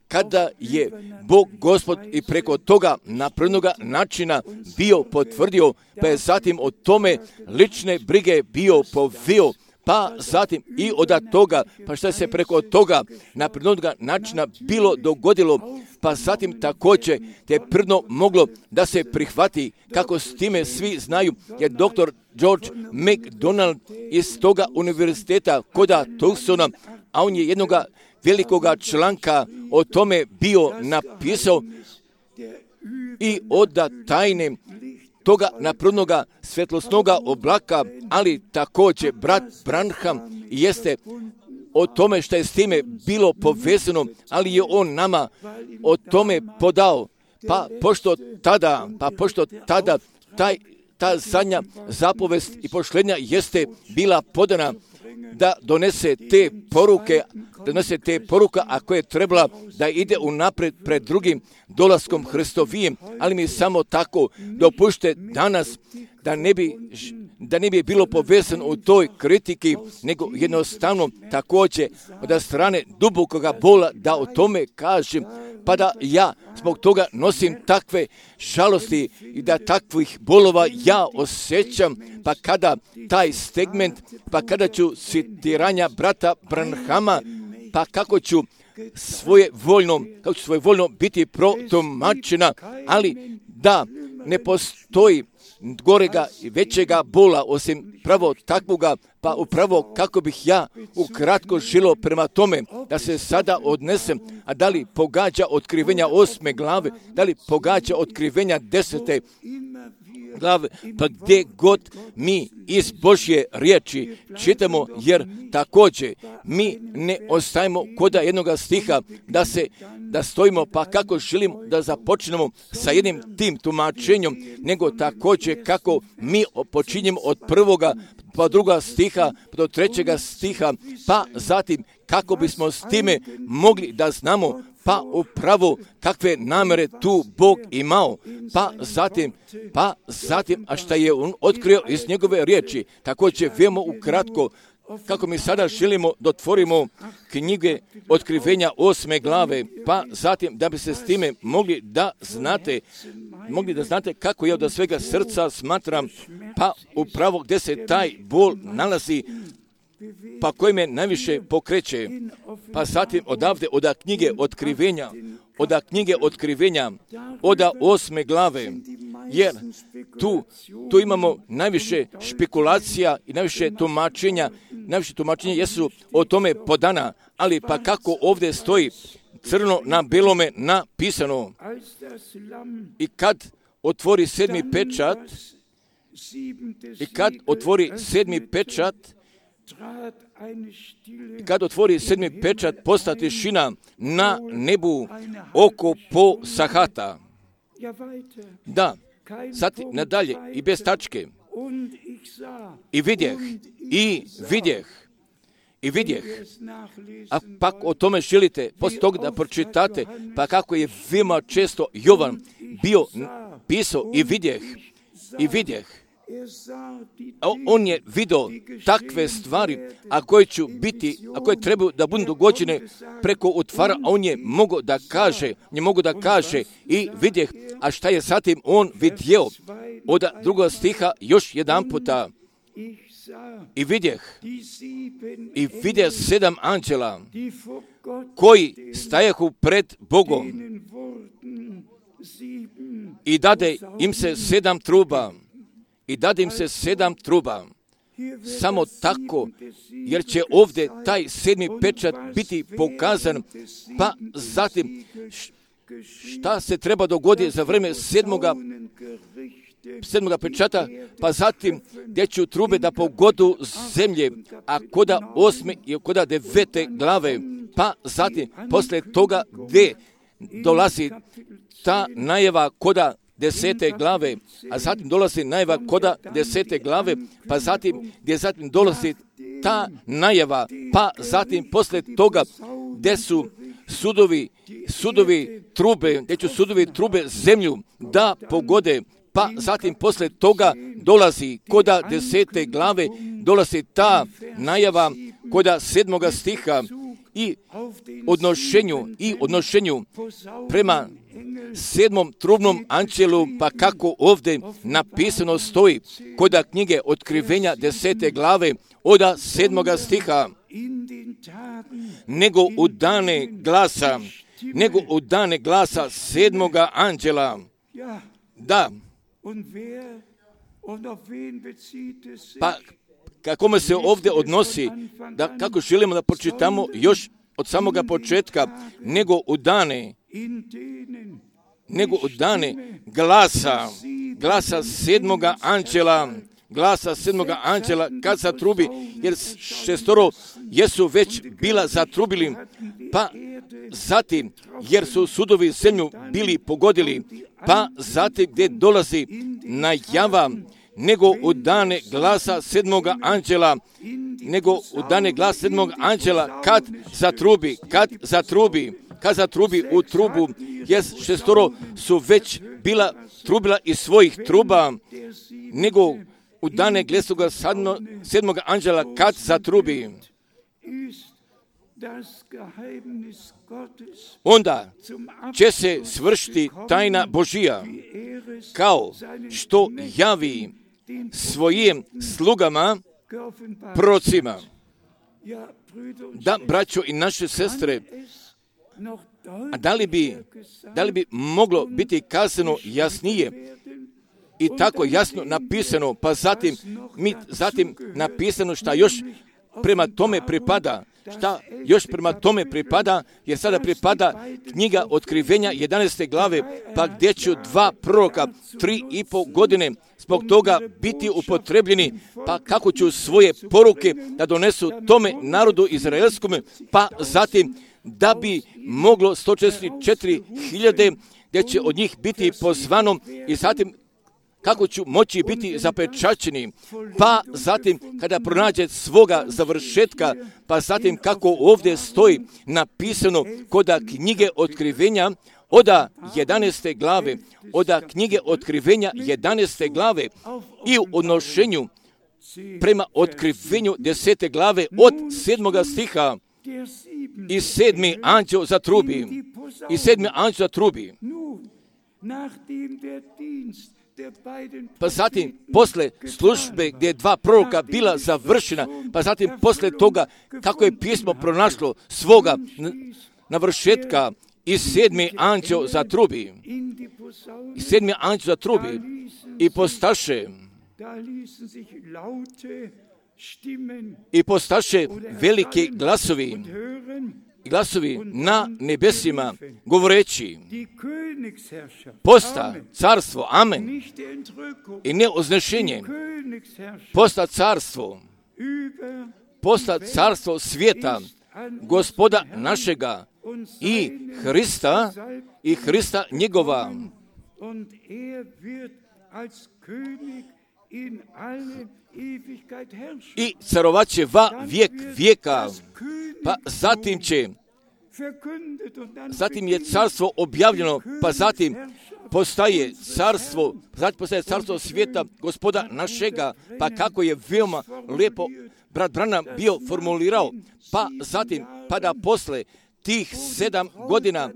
kada je Bog Gospod i preko toga naprednoga načina bio potvrdio, pa je zatim o tome lične brige bio poveo, pa zatim i od toga, pa šta se preko toga naprednoga načina bilo dogodilo, pa zatim također te prdno moglo da se prihvati, kako s time svi znaju, je doktor George MacDonald iz toga univerziteta koda Tucsona, a on je jednoga velikoga članka o tome bio napisao i od tajne toga naprednoga svetlosnoga oblaka, ali također brat Branham jeste o tome što je s time bilo povezano, ali je on nama o tome podao, pa pošto tada, pa pošto tada taj, ta zadnja zapovest i pošlenja jeste bila podana da donese te poruke, da donese te poruka, a koje je trebala da ide unapred pred drugim dolaskom Hristovijem, ali mi samo tako dopušte danas da ne bi, da ne bi bilo povezano u toj kritiki, nego jednostavno također od strane dubokoga bola da o tome kažem, pa da ja zbog toga nosim takve žalosti i da takvih bolova ja osjećam, pa kada taj segment, pa kada ću citiranja brata Branhama, pa kako ću svoje voljno, kako ću svoje voljno biti protumačena, ali da ne postoji gorega i većega bola osim pravo takvoga, pa upravo kako bih ja ukratko žilo prema tome da se sada odnesem, a da li pogađa otkrivenja osme glave, da li pogađa otkrivenja desete glave, pa gdje god mi iz Božje riječi čitamo, jer također mi ne ostajemo koda jednoga stiha da se da stojimo, pa kako želimo da započnemo sa jednim tim tumačenjem, nego također kako mi počinjemo od prvoga pa druga stiha, do trećega stiha, pa zatim kako bismo s time mogli da znamo pa upravo kakve namere tu Bog imao, pa zatim, pa zatim, a šta je on otkrio iz njegove riječi, također vemo ukratko, kako mi sada želimo da otvorimo knjige otkrivenja osme glave, pa zatim da bi se s time mogli da znate, mogli da znate kako ja od svega srca smatram, pa upravo gdje se taj bol nalazi, pa koji me najviše pokreće, pa zatim odavde od knjige otkrivenja, od knjige otkrivenja, od osme glave, jer tu, tu imamo najviše špekulacija i najviše tumačenja, najviše tumačenja jesu o tome podana, ali pa kako ovdje stoji crno na belome napisano, i kad otvori sedmi pečat, i kad otvori sedmi pečat, I kad otvori sedmi pečat, posta tišina na nebu oko po sahata. Da, sad nadalje i bez tačke. I vidjeh, i vidjeh, i vidjeh. A pak o tome želite, poslije toga da pročitate, pa kako je veoma često Jovan bio pisao i vidjeh, i vidjeh. On je vidio takve stvari, a koje će biti, a koje trebaju da budu dogođene preko otvara, a on je mogao da kaže, je mogao da kaže i vidjeh, a šta je zatim on vidio od drugog stiha još jedan puta. I vidjeh, i vidjeh sedam anđela koji stajahu pred Bogom i dade im se sedam truba. I dade im se sedam truba. Samo tako, jer će ovdje taj sedmi pečat biti pokazan, pa zatim šta se treba dogoditi za vreme sedmoga, sedmoga pečata, pa zatim gdje će trube da pogodu zemlje, a koda osme i koda devete glave, pa zatim posle toga gdje dolazi ta najava koda desete glave, a zatim dolazi najava koda desete glave, pa zatim gdje zatim dolazi ta najava, pa zatim posle toga gdje su sudovi, sudovi trube, gdje će sudovi trube zemlju da pogode, pa zatim posle toga dolazi koda desete glave, dolazi ta najava koda sedmoga stiha i odnošenju, i odnošenju prema sedmom trubnom anđelu, pa kako ovdje napisano stoji koda knjige Otkrivenja desete glave oda sedmoga stiha, nego u dane glasa, nego u dane glasa sedmoga anđela, da, pa kako se ovdje odnosi, da kako želimo da pročitamo još od samoga početka, nego u dane, nego u dane glasa, glasa sedmoga anđela, glasa sedmoga anđela kad zatrubi, jer šestoro jesu već bila zatrubili, pa zatim jer su sudovi zemlju bili pogodili, pa zatim gdje dolazi najava, nego u dane glasa sedmoga anđela, nego u dane glasa sedmoga anđela kad zatrubi, kad zatrubi, kad zatrubi u trubu, jer šestoro su već bila trubila iz svojih truba, nego u dane glasa sedmoga anđela kad zatrubi, onda će se svršiti tajna Božija, kao što javi svojim slugama, prorocima. Da, braćo i naše sestre, a da li bi, da li bi moglo biti kazano jasnije i tako jasno napisano, pa zatim, mi, zatim napisano šta još prema tome pripada, šta još prema tome pripada, jer sada pripada knjiga Otkrivenja jedanaeste glave, pa gdje će dva proroka tri i pol godine zbog toga biti upotrebljeni, pa kako će svoje poruke da donesu tome narodu izraelskome, pa zatim da bi moglo sto četrdeset četiri hiljade gdje će od njih biti pozvano i zatim kako ću moći biti zapečaćeni, pa zatim kada pronađe svoga završetka, pa zatim kako ovdje stoji napisano koda knjige Otkrivenja, oda jedanaeste glave, oda knjige Otkrivenja jedanaeste glave i u odnošenju prema Otkrivenju desete glave od sedmoga stiha, i sedmi anđeo zatrubi, i sedmi anđeo zatrubi. Pa zatim, posle službe gdje je dva proroka bila završena, pa zatim posle toga kako je pismo pronašlo svoga navršetka, i sedmi anđeo zatrubi, i sedmi anđeo zatrubi, i postaše, i postaše veliki glasovi, glasovi na nebesima, govoreći, posta carstvo, amen, i ne oznešenje, posta carstvo, posta carstvo svijeta, Gospoda našega i Hrista, i Hrista njegova. I carovat će va vijek vijeka, pa zatim će, zatim je carstvo objavljeno, pa zatim postaje carstvo, zatim postaje carstvo svijeta Gospoda našega, pa kako je veoma lijepo brat Branham bio formulirao, pa zatim, pa da posle tih sedam godina,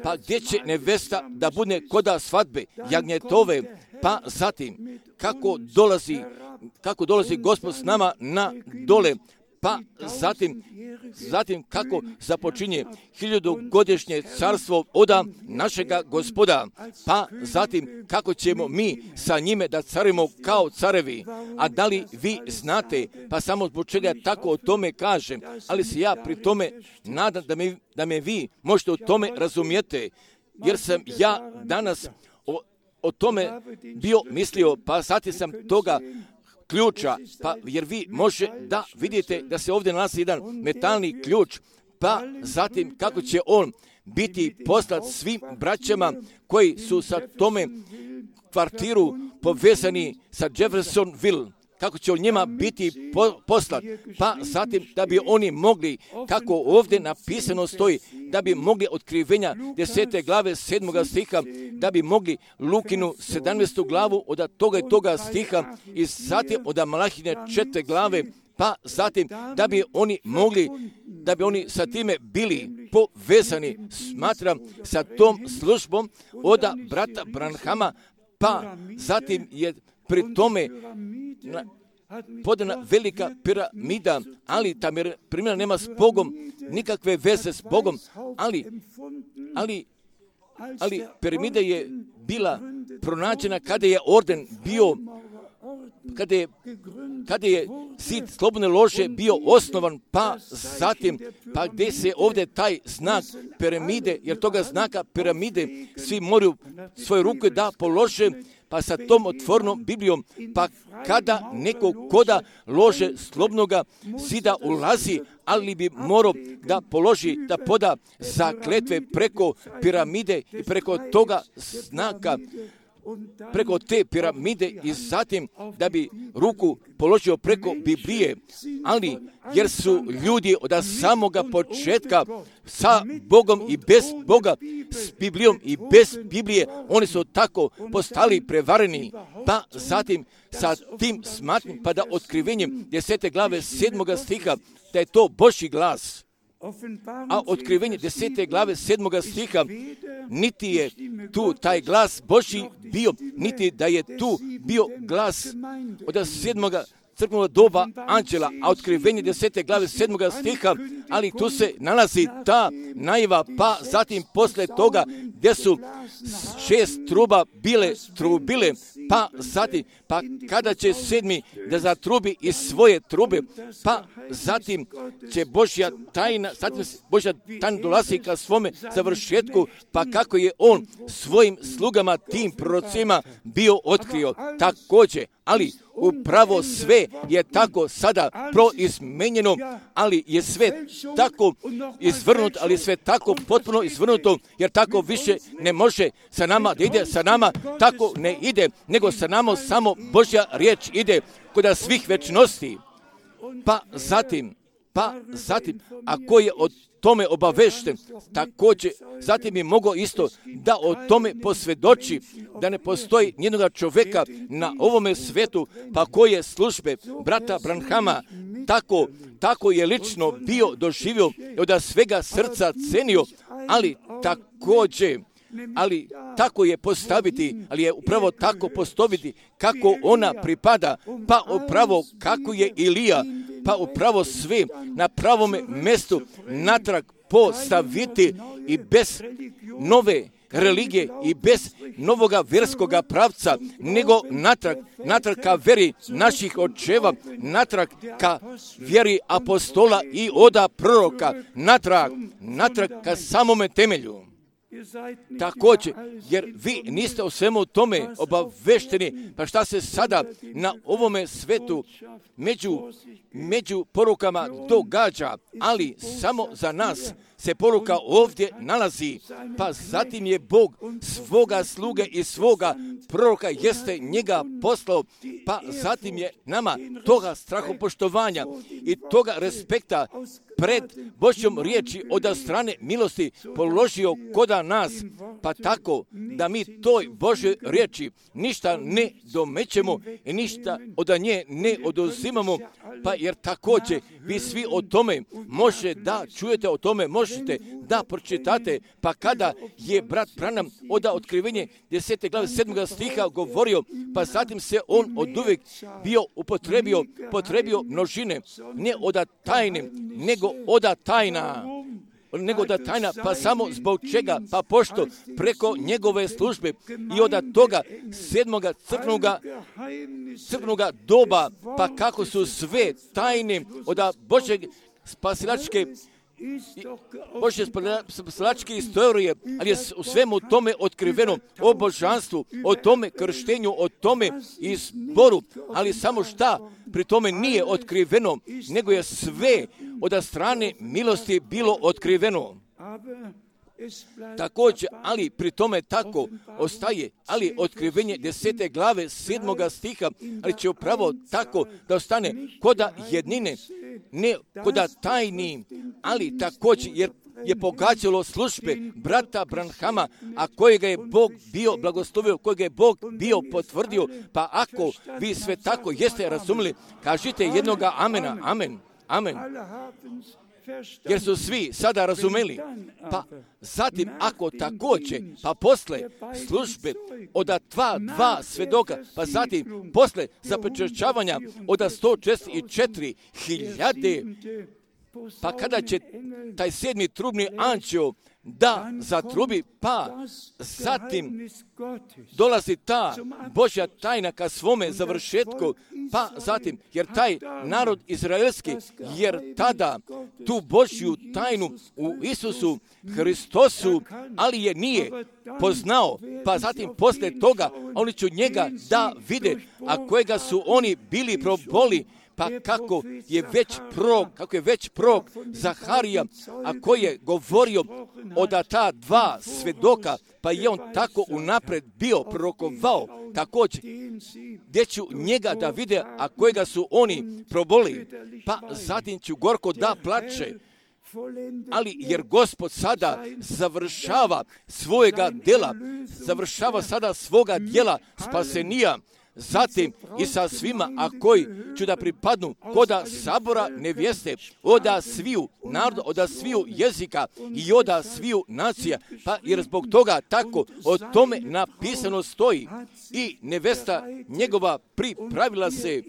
pa gdje će nevesta da bude koda svadbe, jagnjetove, pa zatim kako dolazi, kako dolazi Gospod s nama na dole, pa zatim, zatim kako započinje hiljadugodišnje carstvo oda našega Gospoda, pa zatim kako ćemo mi sa njime da carimo kao carevi. A da li vi znate, pa samo zbog čega tako o tome kažem, ali se ja pri tome nadam da me, da me vi možete o tome razumijete, jer sam ja danas o, o tome bio mislio, pa zatim sam toga ključa, pa jer vi može da vidite da se ovdje nalazi jedan metalni ključ, pa zatim kako će on biti poslat svim braćama koji su sa tome kvartiru povezani sa Jeffersonville, kako će on njima biti po, poslat, pa zatim da bi oni mogli, kako ovdje napisano stoji, da bi mogli otkrivenja desete glave sedmoga stiha, da bi mogli Lukinu sedamnaestu glavu od toga i toga stiha i zatim od Malahine četvrte glave, pa zatim da bi oni mogli, da bi oni sa time bili povezani, smatram, sa tom službom od brata Branhama, pa zatim je pri tome na, podana velika piramida, ali ta piramida nema s Bogom nikakve veze s Bogom, ali, ali, ali piramida je bila pronađena kada je orden bio, kada je, kada je zid slobodne lože bio osnovan, pa zatim, pa gdje se ovdje taj znak piramide, jer toga znaka piramide svi moraju svoje ruke da polože, pa sa tom otvornom Biblijom, pa kada neko koda lože slobodnoga zida ulazi, ali bi morao da položi, da poda zakletve preko piramide i preko toga znaka, preko te piramide i zatim da bi ruku položio preko Biblije, ali jer su ljudi od samoga početka sa Bogom i bez Boga, s Biblijom i bez Biblije, oni su tako postali prevareni, pa zatim sa tim smatnim, pa da otkrivenjem desete glave sedmoga stiha, da je to Božji glas. A otkrivenje desete glave sedmoga stiha, niti je tu taj glas Božji bio, niti da je tu bio glas od sedmoga crkvenog doba anđela, a otkrivenje desete glave sedmoga stiha, ali tu se nalazi ta najava, pa zatim posle toga gdje su šest truba bile trubile, pa zatim, pa kada će sedmi da zatrubi iz svoje trube, pa zatim će Božja tajna, zatim Božja tajna dolazi ka svome završetku, pa kako je on svojim slugama, tim prorocima bio otkrio također, ali upravo sve je tako sada proizmenjeno, ali je sve tako izvrnuto, ali je sve tako potpuno izvrnuto, jer tako više ne može sa nama da ide, sa nama tako ne ide, nego sa nama samo Božja riječ ide kod svih večnosti. Pa zatim, pa zatim, ako je o tome obavešten, također, zatim bi mogao isto da o tome posvjedoči, da ne postoji nijednog čovjeka na ovome svetu, pa koje službe brata Branhama tako, tako je lično bio doživio i od svega srca cenio, ali također, ali tako je postaviti, ali je upravo tako postaviti kako ona pripada, pa upravo kako je Ilija, pa upravo sve na pravome mjestu natrag postaviti i bez nove religije i bez novoga vjerskoga pravca, nego natrag, natrag ka vjeri naših očeva, natrag ka vjeri apostola i oda proroka, natrag, natrag ka samome temelju. Također, jer vi niste o svemu tome obavešteni, pa šta se sada na ovome svetu među, među porukama događa, ali samo za nas se poruka ovdje nalazi, pa zatim je Bog svoga sluge i svoga proroka jeste njega poslao, pa zatim je nama toga strahopoštovanja i toga respekta pred Božjom riječi od strane milosti položio koda nas, pa tako da mi toj Božoj riječi ništa ne domećemo i ništa od nje ne oduzimamo, pa jer također vi svi o tome može da čujete, o tome možete da pročitate, pa kada je brat Branham od otkrivenje desete glave sedmoga stiha govorio, pa zatim se on od uvijek bio upotrebio, potrebio množine, ne od tajne, nego oda tajna, nego da tajna, pa samo zbog čega, pa pošto preko njegove službe i od toga sedmoga crkvenoga, crkvenoga doba, pa kako su sve tajne od Božeg spasilačke Božje spasilačke istorije, ali je u svemu tome otkriveno o božanstvu, o tome krštenju, o tome izboru, ali samo šta pri tome nije otkriveno, nego je sve od strane milosti bilo otkriveno. Također, ali pri tome tako ostaje, ali otkrivenje desete glave sedmoga stiha, ali će upravo tako da ostane koda jednine, ne koda tajni, ali također jer je pogađalo službe brata Branhama, a kojega je Bog bio blagoslovio, kojega je Bog bio potvrdio, pa ako vi sve tako jeste razumili, kažite jednoga amena, amen, amen. Jer su svi sada razumeli. Pa zatim, ako također, pa posle službe od dva, dva svedoka, pa zatim posle zapečaćavanja od sto četrdeset četiri hiljade, pa kada će taj sedmi trubni anđeo da zatrubi, pa zatim dolazi ta Božja tajna ka svome završetku, pa zatim, jer taj narod izraelski, jer tada tu Božju tajnu u Isusu Hristosu, ali je nije poznao, pa zatim posle toga oni će njega da vide, a kojega su oni bili proboli, pa kako je već prorok, kako je već prorok Zaharija, a koji je govorio od ta dva svedoka, pa je on tako unapred bio prorokovao, također, gdje ću njega da vide, a kojega su oni proboli, pa zatim ću gorko da plače, ali jer Gospod sada završava svojega djela, završava sada svoga djela spasenija, zatim i sa svima, a koji ću da pripadnu koda sabora nevjeste, oda sviju naroda, oda sviju jezika i oda sviju nacija, pa jer zbog toga tako o tome napisano stoji i nevesta njegova pripravila se,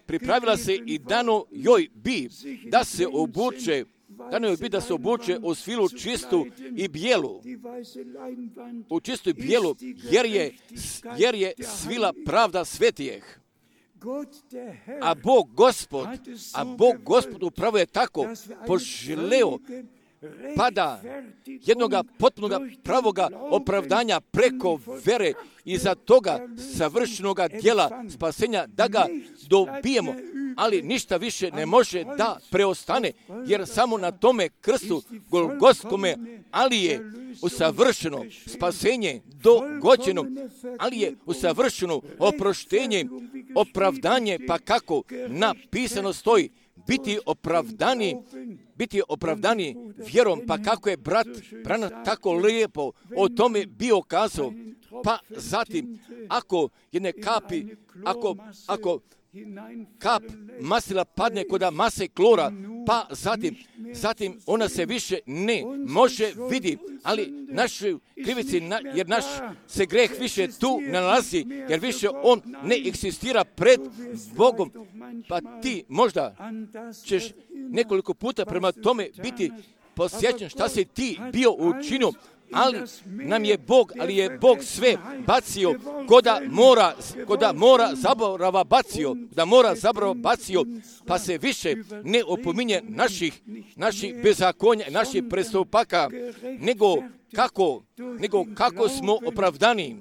pripravila se i dano joj bi da se obuče, dano joj bi da se obuče u svilu čistu i bijelu, u čistu i bijelu, jer je, jer je svila pravda svetijeh. A Bog Gospod, a Bog Gospod upravo je tako poželeo, pa da jednoga potpunoga pravoga opravdanja preko vere i za toga savršenoga djela spasenja da ga dobijemo, ali ništa više ne može da preostane, jer samo na tome krstu golgotskome, ali je usavršeno spasenje dogođeno, ali je usavršeno oproštenje, opravdanje, pa kako napisano stoji, biti opravdani, biti opravdani vjerom, pa kako je brat Branham tako lijepo o tome bio kazao, pa zatim, ako jedne kapi, ako, ako kap masila padne kod mase klora, pa zatim, zatim ona se više ne može vidi, ali našu krivici, jer naš se greh više tu ne nalazi, jer više on ne eksistira pred Bogom, pa ti možda ćeš nekoliko puta prema tome biti posjećan šta si ti bio učinio, ali nam je Bog, ali je Bog sve bacio, koda mora, koda mora zaborava bacio, da mora zaborava bacio, pa se više ne opominje naših, naših bezakonja, naših prestupaka, nego kako, nego kako smo opravdani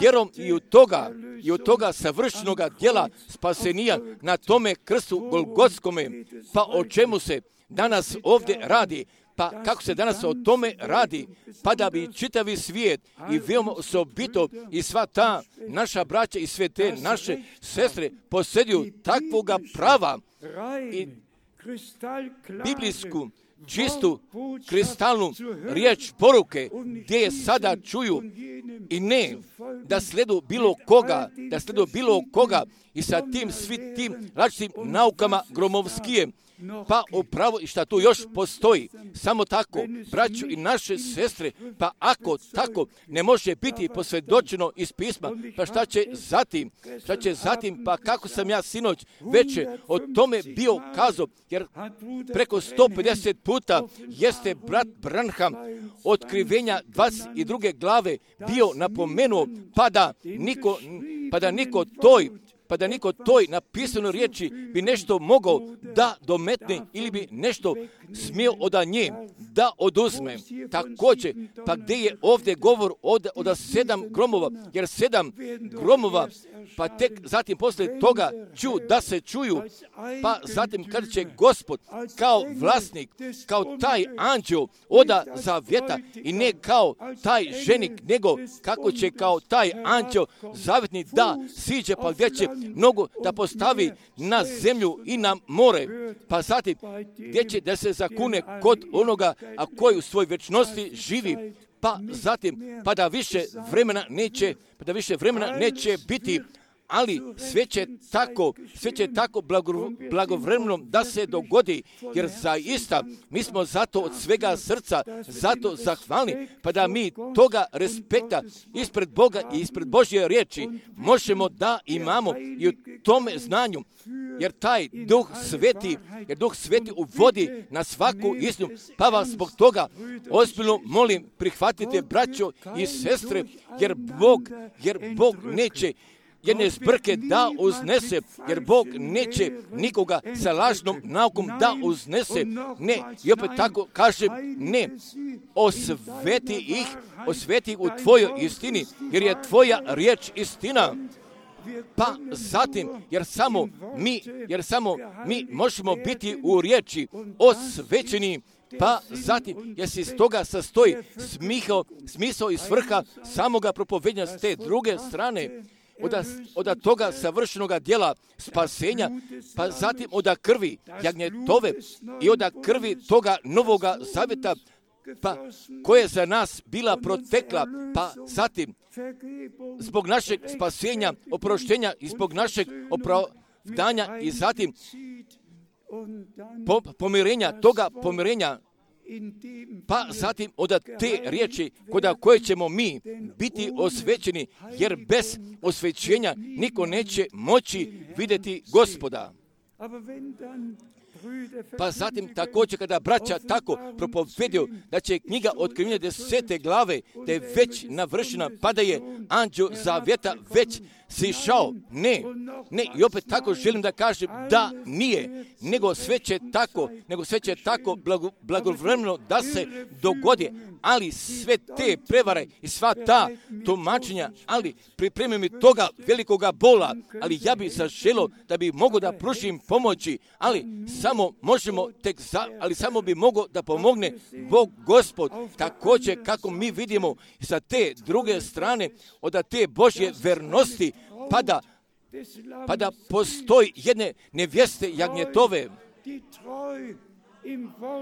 vjerom i od toga, i od toga savršenoga djela spasenija na tome krstu golgotskome, pa o čemu se danas ovdje radi. Pa kako se danas o tome radi, pa da bi čitavi svijet i veoma osobito i sva ta naša braća i sve te naše sestre posjeduju takvoga prava i biblijsku, čistu, kristalnu riječ poruke, gdje je sada čuju i ne da sledu bilo koga, da sledu bilo koga i sa tim svi tim različitim naukama gromovskije, pa upravo i šta tu još postoji, samo tako, braću i naše sestre, pa ako tako ne može biti posvjedočeno iz pisma, pa šta će zatim, šta će zatim, pa kako sam ja sinoć veče o tome bio kazao, jer preko sto pedeset puta jeste brat Branham otkrivenja dvadeset druge glave bio napomenuo, pa da niko, pa da niko toj pa da niko toj napisanoj riječi bi nešto mogao da dometne ili bi nešto smio od nje da oduzme. Također, pa gdje je ovdje govor od, od sedam gromova, jer sedam gromova pa tek zatim poslije toga ću da se čuju, pa zatim kad će Gospod kao vlasnik, kao taj anđeo oda zavjeta i ne kao taj ženik, nego kako će kao taj anđeo zavjetni da siđe pa gdje će nogu da postavi na zemlju i na more, pa zatim gdje će da se zakune kod onoga a koji u svoj vječnosti živi, pa zatim pa da više vremena neće, pa da više vremena neće biti, ali sve će tako, sve će tako blago, blagovremeno da se dogodi, jer zaista mi smo zato od svega srca zato zahvalni, pa da mi toga respekta ispred Boga i ispred Božje riječi možemo da imamo i u tome znanju, jer taj Duh Sveti, jer Duh Sveti uvodi na svaku istinu, pa vas zbog toga ozbiljno molim, prihvatite braćo i sestre, jer Bog, jer Bog neće jedne zbrke da uznese, jer Bog neće nikoga sa lažnom naukom da uznese. Ne, i opet tako kažem, ne, osveti ih, osveti ih u tvojoj istini, jer je tvoja riječ istina. Pa zatim, jer samo mi, jer samo mi možemo biti u riječi osvećeni, pa zatim, jer se iz toga sastoji smisao, smisao i svrha samoga propovedanja s te druge strane, Od, od toga savršenoga djela spasenja, pa zatim od krvi jagnjetove i od krvi toga novoga zavjeta, pa koja je za nas bila protekla, pa zatim zbog našeg spasenja, oproštenja i zbog našeg opravdanja i zatim po, pomirenja, toga pomirenja, pa zatim od te riječi kod koje ćemo mi biti osvećeni, jer bez osvećenja niko neće moći vidjeti Gospoda. Pa zatim također kada braća tako propovedio da će knjiga Otkrivenja desete glave da je već navršena, pa da je anđeo zavjeta već sišao. Ne, ne, i opet tako želim da kažem da nije, nego sve će tako, nego sve će tako blago, blagovremeno da se dogodi, ali sve te prevare i sva ta tumačenja, ali pripremi mi toga velikoga bola, ali ja bih zaželio da bi mogo da pružim pomoći, ali samo možemo tek za, ali samo bi mogo da pomogne Bog Gospod, također kako mi vidimo sa te druge strane od te Božje vernosti, pa da, pa da postoji jedne nevjeste jagnjetove,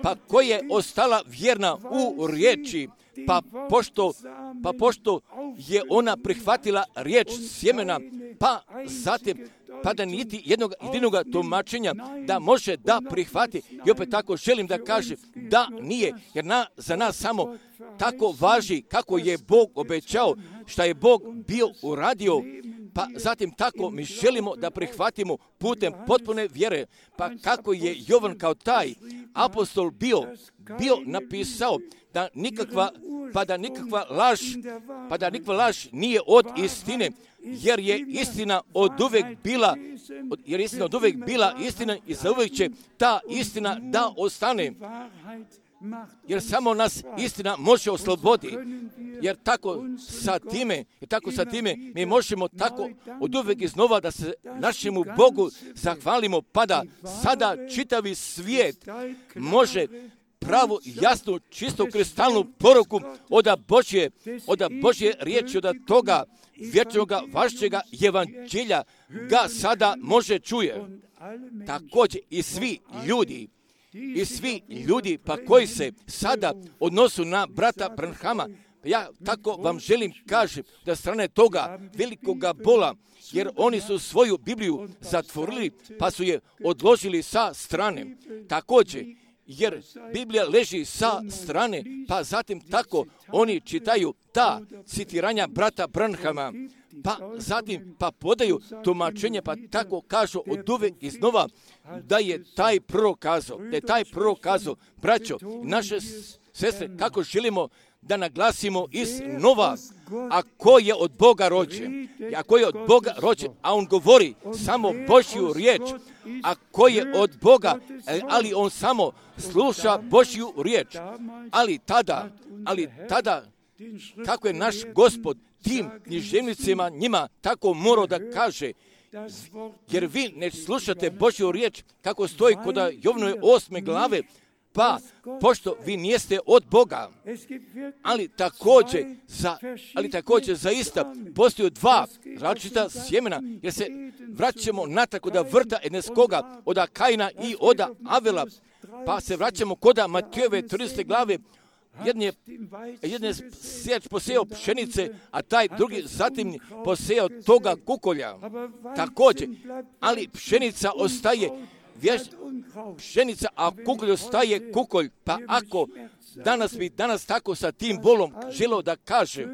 pa koja je ostala vjerna u riječi, pa pošto, pa pošto je ona prihvatila riječ sjemena, pa zatim, pa da niti jednog jedinoga tumačenja da može da prihvati. I opet tako želim da kažem da nije, jer na, za nas samo tako važi kako je Bog obećao, šta je Bog bio uradio, pa zatim tako mi želimo da prihvatimo putem potpune vjere, pa kako je Jovan kao taj apostol bio, bio napisao da nikakva, pa da nikakva laž, pa da nikakva laž nije od istine, jer je istina od uvek bila, jer je istina od uvek bila istina i zauvek će ta istina da ostane. Jer samo nas istina može osloboditi, jer tako sa time, jer tako sa time mi možemo tako od uvek iznova da se našemu Bogu zahvalimo, pa da sada čitavi svijet može pravu, jasnu, čistu, kristalnu poruku od Božje, od Božje riječi, od toga vječnog vašćega evanđelja ga sada može čuje. Također i svi ljudi, i svi ljudi pa koji se sada odnosu na brata Branhama, ja tako vam želim kažem da strane toga velikoga bola, jer oni su svoju Bibliju zatvorili pa su je odložili sa strane. Također, jer Biblija leži sa strane, pa zatim tako oni čitaju ta citiranja brata Branhama, pa zatim pa podaju tumačenje, pa tako kažu od uvek iznova da je taj prorok kazao, da je taj prorok kazao, braćo, naše sestre, kako želimo da naglasimo iznova, a ko je od Boga rođen, a ko je od Boga rođen, a on govori samo Božju riječ, a ko je od Boga, ali on samo sluša Božju riječ, ali tada, ali tada kako je naš Gospod tim književnicima njima tako morao da kaže, jer vi ne slušate Božju riječ kako stoji kod Jovnove osme glave, pa pošto vi nijeste od Boga, ali također, za, ali također zaista postoje dva različita sjemena, jer se vraćamo natrag kod vrta Edeskoga, od Kaina i od Avela, pa se vraćamo kod Matejove tridesete glave. Jedan je, jedan je sijač posejao pšenice, a taj drugi zatim posejao toga kukolja. Također, ali pšenica ostaje vješ, pšenica, a kukolj ostaje kukolj. Pa ako danas bi danas tako sa tim bolom želio da kaže,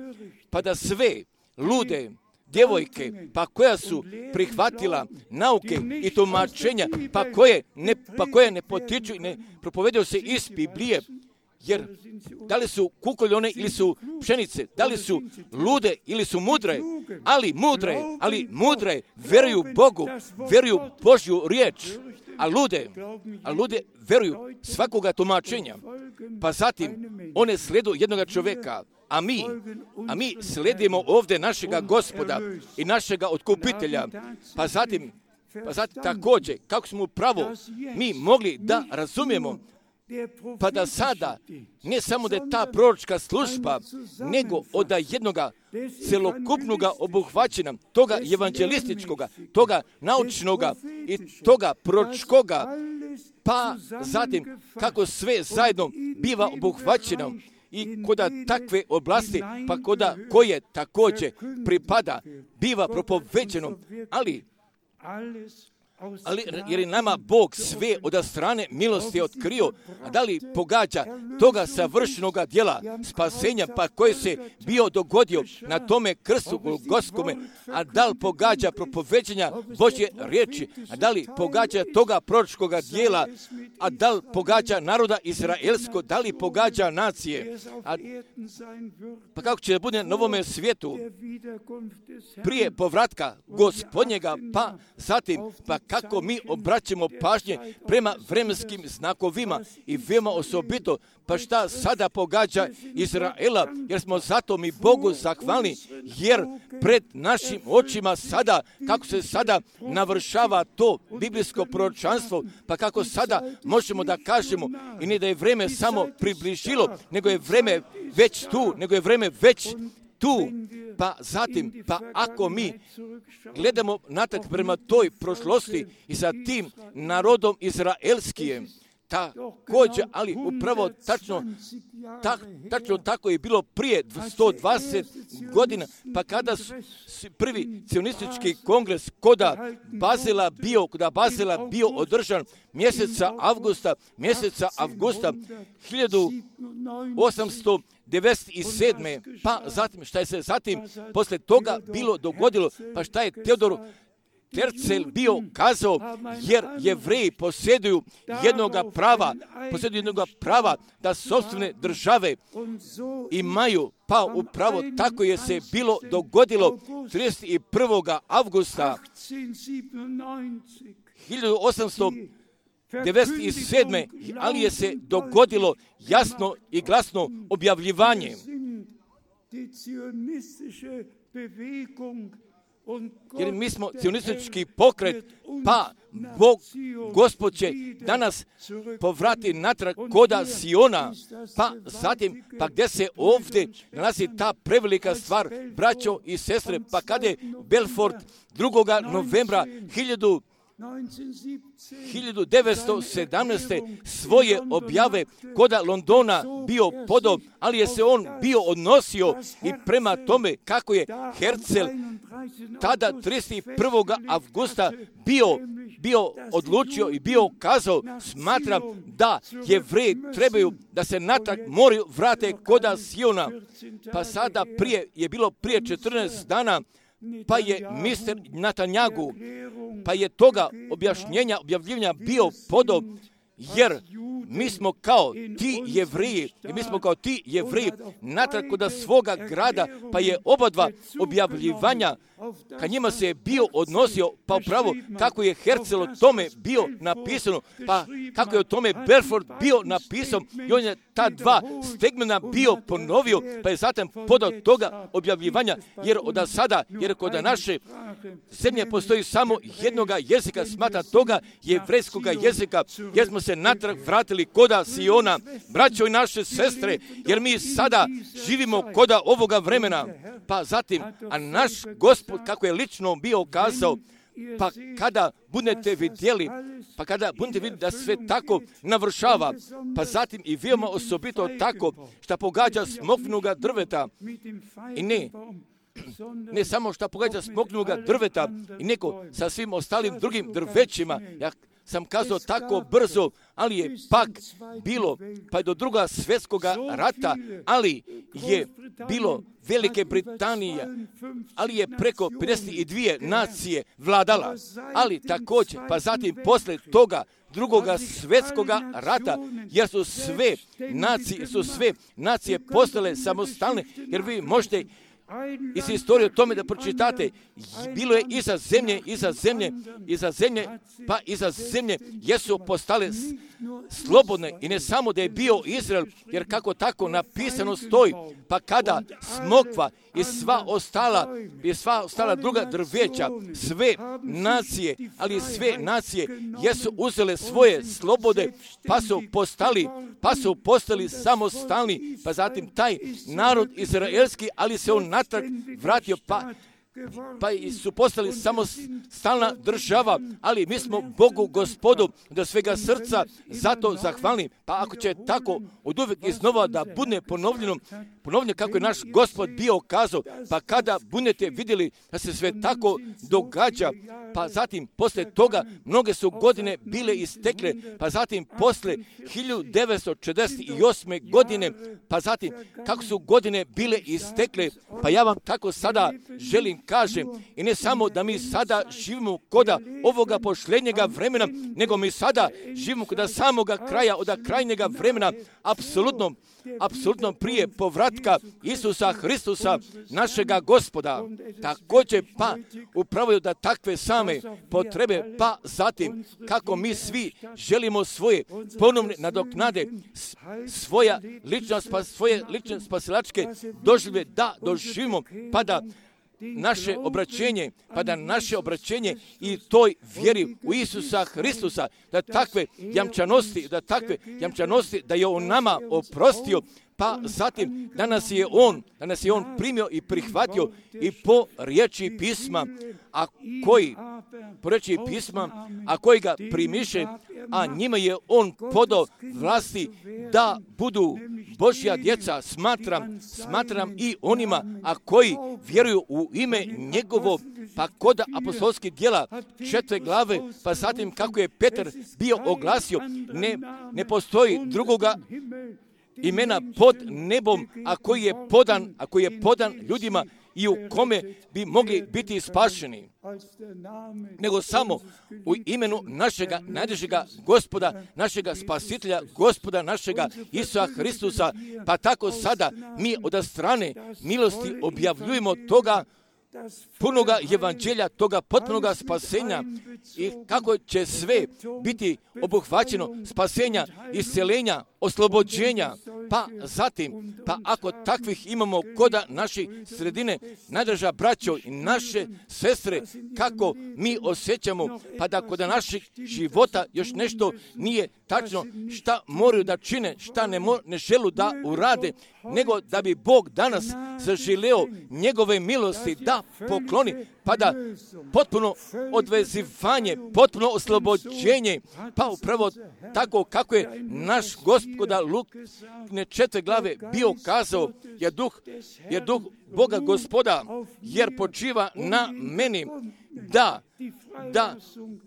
pa da sve lude djevojke, pa koja su prihvatila nauke i tumačenja, pa koje ne, pa koje ne potiču i ne propovedaju se iz Biblije, jer da li su kukoljone ili su pšenice, da li su lude ili su mudre, ali mudre, ali mudre veruju Bogu, veruju Božju riječ, a lude, a lude veruju svakoga tumačenja. Pa zatim one sledu jednoga čovjeka, a mi, a mi sledimo ovdje našega Gospoda i našega otkupitelja. Pa zatim, pa zatim također, kako smo upravo mi mogli da razumijemo, pa da sada, ne samo da je ta proročka služba, nego od jednoga celokupnoga obuhvaćena, toga evanđelističkoga, toga naučnoga i toga proročkoga, pa zatim kako sve zajedno biva obuhvaćeno i koda takve oblasti, pa koda koje također pripada, biva propoveđeno, ali Ali jer je nama Bog sve od strane milosti otkrio, a da li pogađa toga savršenoga djela spasenja, pa koji se bio dogodio na tome krstu Golgotskome, a da li pogađa propoveđenja Božje riječi, a da li pogađa toga proročkoga djela, a da li pogađa naroda izraelsko, da li pogađa nacije, a, pa kako će da bude na ovome svijetu prije povratka Gospodnjega, pa zatim, pa kako mi obraćamo pažnje prema vremenskim znakovima i veoma osobito, pa šta sada pogađa Izraela, jer smo zato mi Bogu zahvalni, jer pred našim očima sada, kako se sada navršava to biblijsko proročanstvo, pa kako sada možemo da kažemo, i ne da je vreme samo približilo, nego je vreme već tu, nego je vreme već tu, pa zatim, pa ako mi gledamo natrag prema toj prošlosti i sa tim narodom izraelskijem, također, ali upravo tačno, ta, tačno tako je bilo prije sto dvadeset godina, pa kada su prvi cionistički kongres koda Bazela bio, koda Bazela bio održan mjeseca avgusta, mjeseca avgusta hiljadu osamsto devedeset sedme. Pa zatim, šta je se zatim posle toga bilo dogodilo, pa šta je Teodor Tercel bio kazao, jer Jevreji posjeduju jednoga prava, posjeduju jednoga prava da sopstvene države imaju, pa upravo tako je se bilo dogodilo trideset prvog avgusta hiljadu osamsto devedeset sedme. ali je se dogodilo jasno i glasno objavljivanje. Jer mi smo cionistički pokret, pa Bog, Gospod će danas povrati natrag koda Siona, pa zatim, pa gdje se ovdje nalazi ta prevelika stvar, braćo i sestre, pa kada je Belfort drugog novembra hiljadu devetsto sedamnaeste. svoje objave koda Londona bio podob, ali je se on bio odnosio i prema tome kako je Herzl tada trideset prvog avgusta bio, bio odlučio i bio kazao, smatram da Jevreji trebaju da se natrag moraju vrate koda Siona. Pa sada prije, je bilo prije četrnaest dana, pa je mister Netanjahu, pa je toga objašnjenja, objavljivanja bio podob, jer mi smo kao ti Jevriji, i mi smo kao ti Jevriji natrag kod svoga grada, pa je oba dva objavljivanja ka njima se je bio odnosio, pa upravo kako je Hercel o tome bio napisano, pa kako je o tome Belfort bio napisan, i on je ta dva stegmena bio ponovio, pa je zatim podao toga objavljivanja, jer od sada, jer kod naše zemlje postoji samo jednoga jezika, smatra toga jevrejskoga jezika, jer smo se natrag vratili koda Siona, braćo i naše sestre, jer mi sada živimo koda ovoga vremena, pa zatim, a naš Gospod, kako je lično bio kazao, pa kada budete vidjeli, pa kada budete vidjeli da sve tako navršava, pa zatim i veoma osobito tako, što pogađa smokvinoga drveta, i ne, ne samo što pogađa smokvinoga drveta, i neko sa svim ostalim drugim drvećima, ja sam kazao tako brzo, ali je pak bilo, pa je do druga svjetskoga rata, ali je bilo Velike Britanije, ali je preko pedeset dvije nacije vladala, ali također, pa zatim posle toga drugoga svjetskoga rata, jer su sve nacije, su sve nacije postale samostalne, jer vi možete iz istorije o tome da pročitate, bilo je iza zemlje, iza zemlje, iza zemlje, pa iza zemlje, jesu postale slobodne, i ne samo da je bio Izrael, jer kako tako napisano stoji, pa kada smokva i sva ostala, i sva ostala druga drveća, sve nacije, ali sve nacije jesu uzele svoje slobode, pa su postali, pa su postali samostalni, pa zatim taj narod izraelski, ali se on natrag vratio, pa pa su postali samostalna država, ali mi smo Bogu Gospodu do svega srca zato zahvalni. Pa ako će tako od uvijek iznova da bude ponovljeno, ponovljeno kako je naš Gospod bio kazao, pa kada budete vidjeli da se sve tako događa, pa zatim posle toga mnoge su godine bile istekle, pa zatim posle hiljadu devetsto četrdeset osme godine, pa zatim kako su godine bile istekle, pa ja vam tako sada želim kažem, i ne samo da mi sada živimo koda ovoga posljednjega vremena, nego mi sada živimo koda samoga kraja, od krajnjega vremena, apsolutno, apsolutno prije povratka Isusa Hristusa, našega Gospoda. Također pa upravo da takve same potrebe, pa zatim kako mi svi želimo svoje ponovne nadoknade, svoja lična, svoje lične spasilačke doživlje da doživimo, pa da naše obraćenje, pa da naše obraćenje i toj vjeri u Isusa Hristusa, da takve jamčanosti, da takve jamčanosti, da je on nama oprostio, pa zatim da nas je on, da nas je on primio i prihvatio i po riječi pisma, a koji, po riječi pisma, a koji ga primiše, a njima je on podao vlasti da budu Božja djeca, smatram, smatram i onima, a koji vjeruju u ime njegovo, pa kod apostolskih djela četiri glave, pa zatim kako je Petar bio oglasio, ne, ne postoji drugoga imena pod nebom, a koji je podan, a koji je podan ljudima i u kome bi mogli biti spašeni, nego samo u imenu našega najdražega Gospoda, našega Spasitelja, Gospoda našega Isusa Hristusa, pa tako sada mi od strane milosti objavljujemo toga punoga evanđelja, toga potpunoga spasenja, i kako će sve biti obuhvaćeno spasenja, isceljenja, oslobođenja, pa zatim, pa ako takvih imamo koda naših sredine, najdraža braćo i naše sestre, kako mi osjećamo, pa da kod naših života još nešto nije tačno, šta moraju da čine, šta ne, mo, ne želu da urade, nego da bi Bog danas zaželeo njegove milosti da pokloni, pa da potpuno odvezivanje, potpuno oslobođenje, pa upravo tako kako je naš Gospoda Lukne četiri glave bio kazao, je duh, je duh Boga Gospoda, jer počiva na meni, da, da,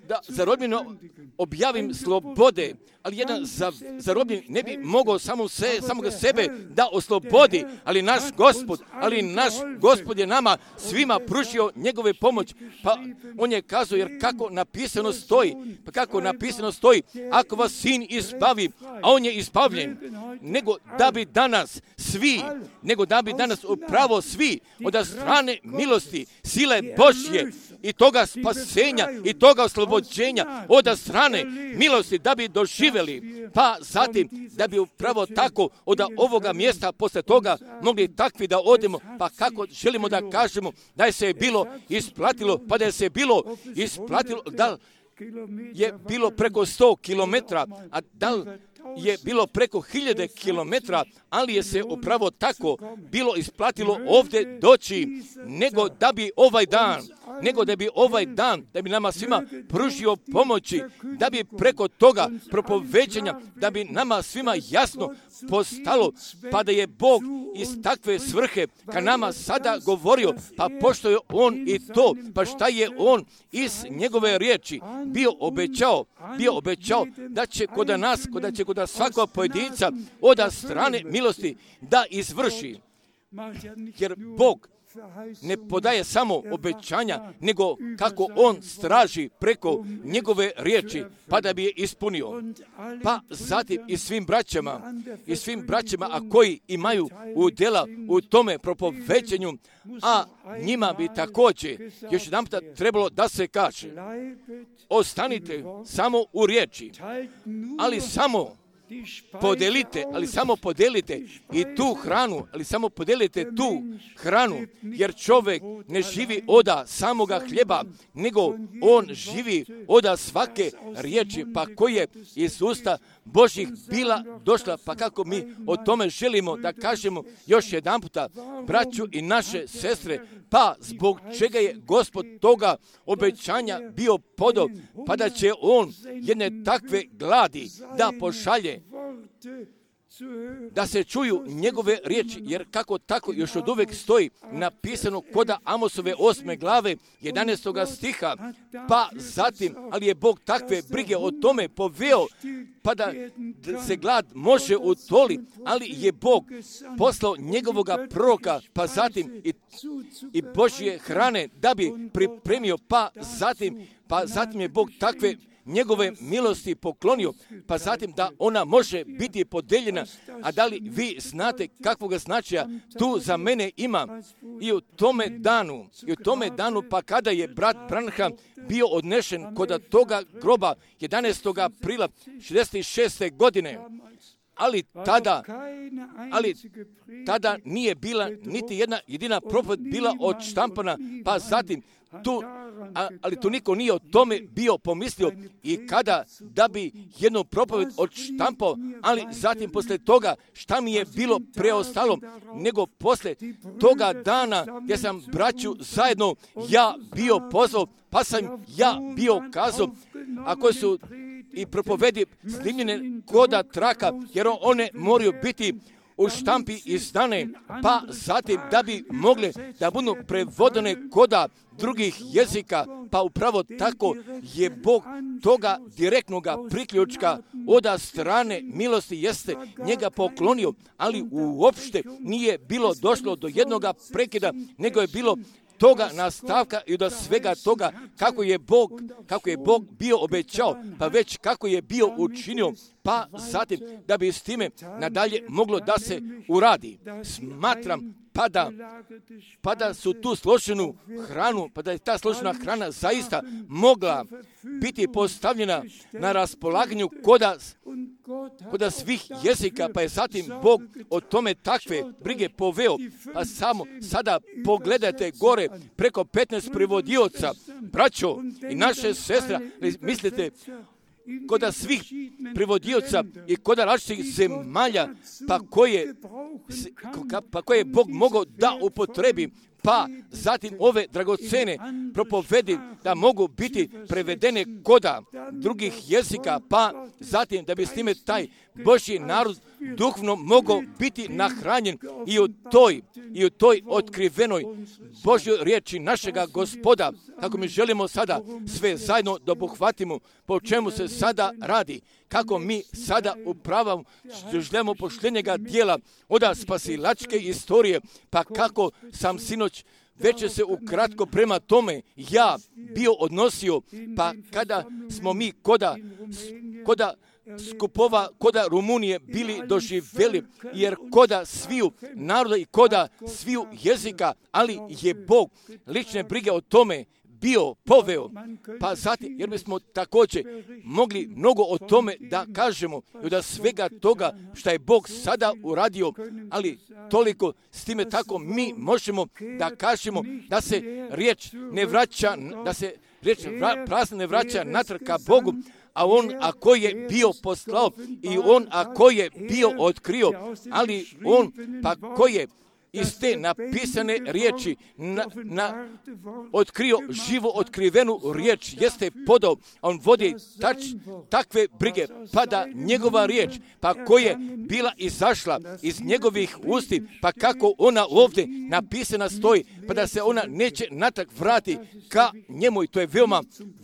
da zarobljeno objavim slobode, ali jedan za, zarobljen ne bi mogao samo se, samoga sebe da oslobodi, ali naš Gospod, ali naš Gospod je nama svima pružio njegove pomoć, pa on je kazao, jer kako napisano stoji, pa kako napisano stoji, ako vas sin izbavi, a on je izbavljen, nego da bi danas svi, nego da bi danas upravo svi od strane milosti, sile Božje i toga spasenja i toga oslobođenja od strane milosti da bi doživjeli, pa zatim da bi upravo tako od ovoga mjesta posle toga mogli takvi da odemo, pa kako želimo da kažemo da je se bilo isplatilo, pa da je se bilo isplatilo, da je bilo preko sto kilometra, a da li je bilo preko hiljade kilometra, ali je se upravo tako bilo isplatilo ovdje doći, nego da bi ovaj dan, nego da bi ovaj dan, da bi nama svima pružio pomoći, da bi preko toga propoveđenja, da bi nama svima jasno postalo, pa da je Bog iz takve svrhe ka nama sada govorio, pa pošto je On i to, pa šta je On iz njegove riječi bio obećao, bio obećao da će kod nas, da će kod svakog pojedinca od strane milosti da izvrši, jer Bog ne podaje samo obećanja, nego kako On straži preko njegove riječi, pa da bi je ispunio. Pa zatim i svim braćama, i svim braćama, a koji imaju udjela u tome propoveđenju, a njima bi također još jedan puta trebalo da se kaže, ostanite samo u riječi, ali samo podelite, ali samo podelite i tu hranu, ali samo podelite tu hranu, jer čovjek ne živi oda samoga hljeba, nego on živi oda svake riječi, pa koje iz usta Božjih bila došla, pa kako mi o tome želimo da kažemo još jedan puta, braću i naše sestre, pa zbog čega je Gospod toga obećanja bio podao, pa da će On jedne takve gladi da pošalje, da se čuju njegove riječi, jer kako tako još od uvek stoji napisano koda Amosove osme glave jedanaestoga stiha, pa zatim, ali je Bog takve brige o tome poveo, pa da se glad može utoli, ali je Bog poslao njegovoga proroka, pa zatim i, i Božje hrane da bi pripremio, pa zatim, pa zatim je Bog takve njegove milosti poklonio, pa zatim da ona može biti podeljena, a da li vi znate kakvog značaja tu za mene ima i u tome danu, i u tome danu, pa kada je brat Branham bio odnešen kod toga groba jedanaestog aprila šezdeset šeste godine, ali tada, ali tada nije bila niti jedna jedina propoved bila odštampana, pa zatim tu, a, ali tu niko nije o tome bio pomislio i kada da bi jednu propoved odštampao, ali zatim posle toga šta mi je bilo preostalo, nego posle toga dana gdje sam braću zajedno ja bio pozvao, pa sam ja bio kazao, a koji su i propovedi snimljene koda traka, jer one moraju biti u štampi izdane, pa zatim da bi mogle da budu prevodene koda drugih jezika, pa upravo tako je Bog toga direktnoga priključka od strane milosti jeste njega poklonio, ali uopšte nije bilo došlo do jednoga prekida, nego je bilo toga nastavka i do svega toga kako je Bog, kako je Bog bio obećao, pa već kako je bio učinio, pa zatim da bi s time nadalje moglo da se uradi. Smatram pa da, pa da su tu složenu hranu, pa da je ta složena hrana zaista mogla biti postavljena na raspolaganju koda, koda svih jezika, pa je zatim Bog o tome takve brige poveo, pa samo sada pogledajte gore preko petnaest prevodioca, braćo i naše sestre, mislite, koda svih prevodioca i koda različitih zemalja, pa koje, pa koje je Bog mogao da upotrebi, pa zatim ove dragocene propovedi da mogu biti prevedene koda drugih jezika, pa zatim da bi s time taj Božji narod duhovno mogao biti nahranjen i u toj, i u toj otkrivenoj Božjoj riječi našega Gospoda, kako mi želimo sada sve zajedno da obuhvatimo po čemu se sada radi, kako mi sada upravamo želimo poštenjega dijela od spasilačke istorije, pa kako sam sinoć već se ukratko prema tome ja bio odnosio, pa kada smo mi koda, koda skupova, koda Rumunije bili doživjeli, jer koda sviju naroda i koda sviju jezika, ali je Bog lične brige o tome bio poveo, pa zatim, jer bismo također mogli mnogo o tome da kažemo i da svega toga što je Bog sada uradio, ali toliko s time tako mi možemo da kažemo da se riječ ne vraća, da se riječ vra, prazna ne vraća natrag ka Bogu, a on ako je bio poslao i on ako je bio otkrio, ali on pa ko je iz te napisane riječi na, na, otkrio živo otkrivenu riječ, jeste podao, on vodi tač, takve brige, pa da njegova riječ, pa koja je bila izašla iz njegovih usti, pa kako ona ovdje napisana stoji, pa da se ona neće natrag vrati ka njemu, i to je veoma,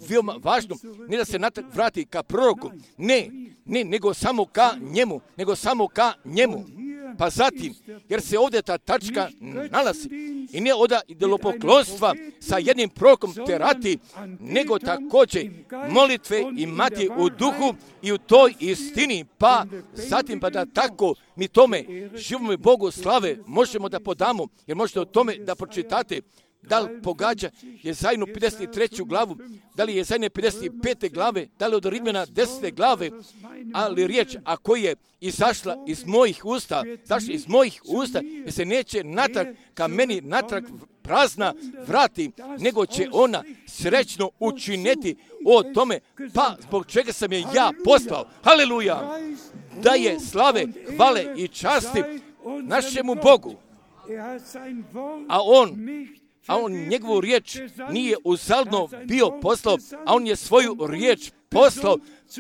veoma važno, ne da se natrag vrati ka proroku, ne, ne, nego samo ka njemu, nego samo ka njemu. Pa zatim, jer se ovdje ta tačka nalazi i ne od idolopoklonstva sa jednim prorokom terati, nego također molitve imati u duhu i u toj istini, pa zatim pa da tako mi tome živome Bogu slave možemo da podamo, jer možete o tome da pročitate. Da li pogađa Jezajnu pedeset treću glavu, da li Jezajne pedeset pete glave, da li od Rimljana desete glave, ali riječ ako je izašla iz mojih usta, zašla iz mojih usta, jer se neće natrag ka meni natrag prazna vrati, nego će ona srećno učiniti o tome, pa zbog čega sam je ja poslao. Haleluja! Da je slave, hvale i časti našemu Bogu, a on a on njegovu riječ nije uzaludno bio poslao, a on je svoju riječ poslao,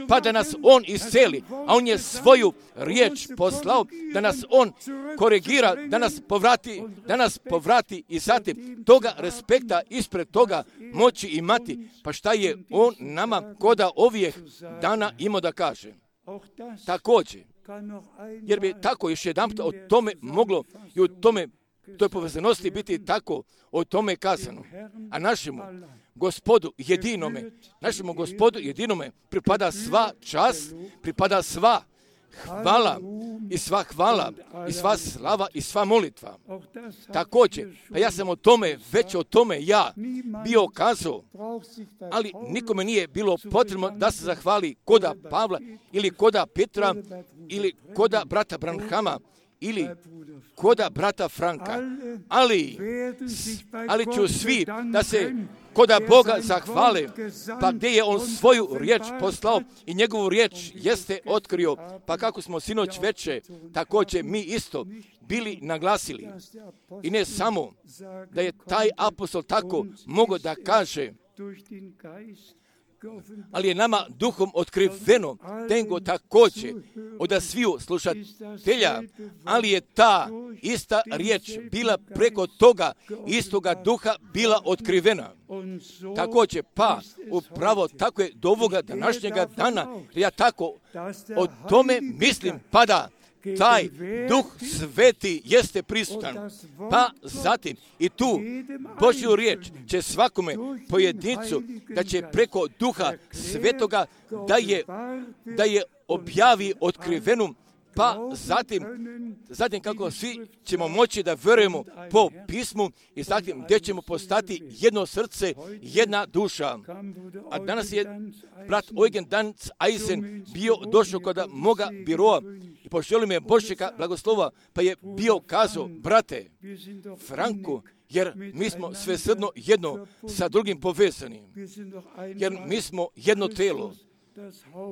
pa da nas on isceli, a on je svoju riječ poslao, da nas on korigira, da nas povrati, da nas povrati i zatim toga respekta ispred toga moći imati. Pa šta je on nama koda ovih dana imao da kaže? Također, jer bi tako još jedan o tome moglo i u tome toj povezanosti biti tako o tome kazano. A našemu Gospodu jedinome, našemu Gospodu jedinome pripada sva čast, pripada sva hvala i sva hvala i sva slava i sva molitva. Također, pa ja sam o tome, već o tome ja bio kazao, ali nikome nije bilo potrebno da se zahvali koda Pavla ili koda Petra ili koda brata Branhama ili koda brata Franka, ali, ali ću svi da se koda Boga zahvale, pa gdje je on svoju riječ poslao i njegovu riječ jeste otkrio, pa kako smo sinoć veče također mi isto bili naglasili. I ne samo da je taj apostol tako mogao da kaže, ali je nama duhom otkriveno, nego također od sviju slušatelja, ali je ta ista riječ bila preko toga istoga duha bila otkrivena. Također, pa upravo tako je do ovoga današnjega dana, ja tako o tome mislim, pa da taj duh sveti jeste prisutan. Pa zatim i tu Božju riječ će svakome pojedincu da će preko duha svetoga da je, da je objavi otkrivenu, pa zatim, zatim kako svi ćemo moći da vjerujemo po pismu i zatim gdje ćemo postati jedno srce, jedna duša. A danas je brat Eugen Danz Eisen bio došao kod moga biroa i poželio me Božjega blagoslova, pa je bio kazao, brate Franku, jer mi smo svesrdno jedno sa drugim povezani, jer mi smo jedno telo.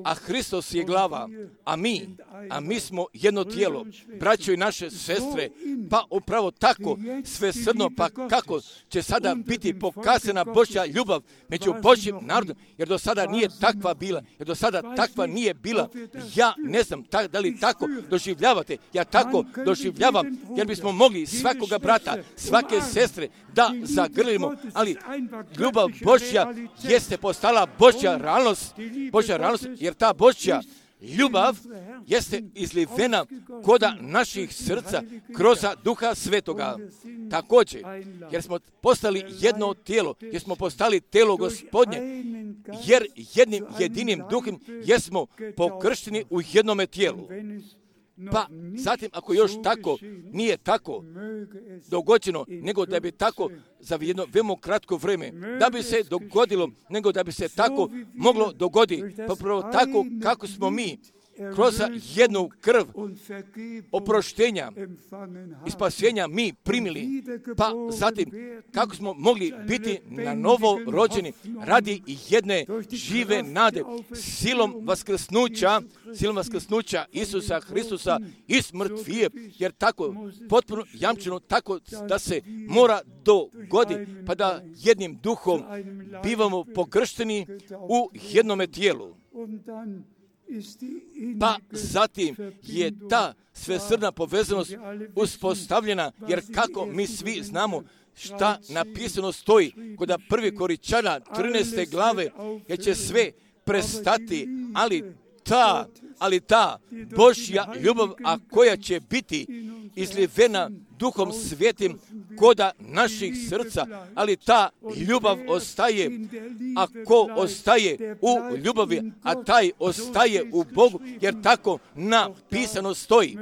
a Hristos je glava, a mi, a mi smo jedno tijelo, braćo i naše sestre, pa upravo tako svesrdno, pa kako će sada biti pokazana Božja ljubav među Božjim narodom, jer do sada nije takva bila, jer do sada takva nije bila. Ja ne znam ta, da li tako doživljavate, ja tako doživljavam, jer bismo mogli svakoga brata, svake sestre da zagrlimo, ali ljubav Božja jeste postala Božja realnost, Božja realnost, jer ta Božja ljubav jeste izlivena koda naših srca kroz Duha Svetoga. Također, jer smo postali jedno tijelo, jer smo postali tijelo Gospodnje, jer jednim jedinim duhom jesmo pokršteni u jednome tijelu. Pa zatim, ako još tako nije tako dogođeno, nego da bi tako za jedno veoma kratko vrijeme, da bi se dogodilo, nego da bi se tako moglo dogoditi, pa prvo tako kako smo mi kroz jednu krv oproštenja i spasenja mi primili, pa zatim kako smo mogli biti na novo rođeni radi jedne žive nade, silom vaskrsnuća, silom vaskrsnuća Isusa Hristusa iz mrtvije, jer tako potpuno jamčeno, tako da se mora dogoditi, pa da jednim duhom bivamo pokršteni u jednome tijelu. Pa zatim je ta svesrdna povezanost uspostavljena, jer kako mi svi znamo šta napisano stoji kod prvi Korinćana trinaeste glave, jer će sve prestati, ali ta, ali ta Božja ljubav, a koja će biti izlivena Duhom Svetim koda naših srca, ali ta ljubav ostaje, a ko ostaje u ljubavi, a taj ostaje u Bogu, jer tako napisano stoji.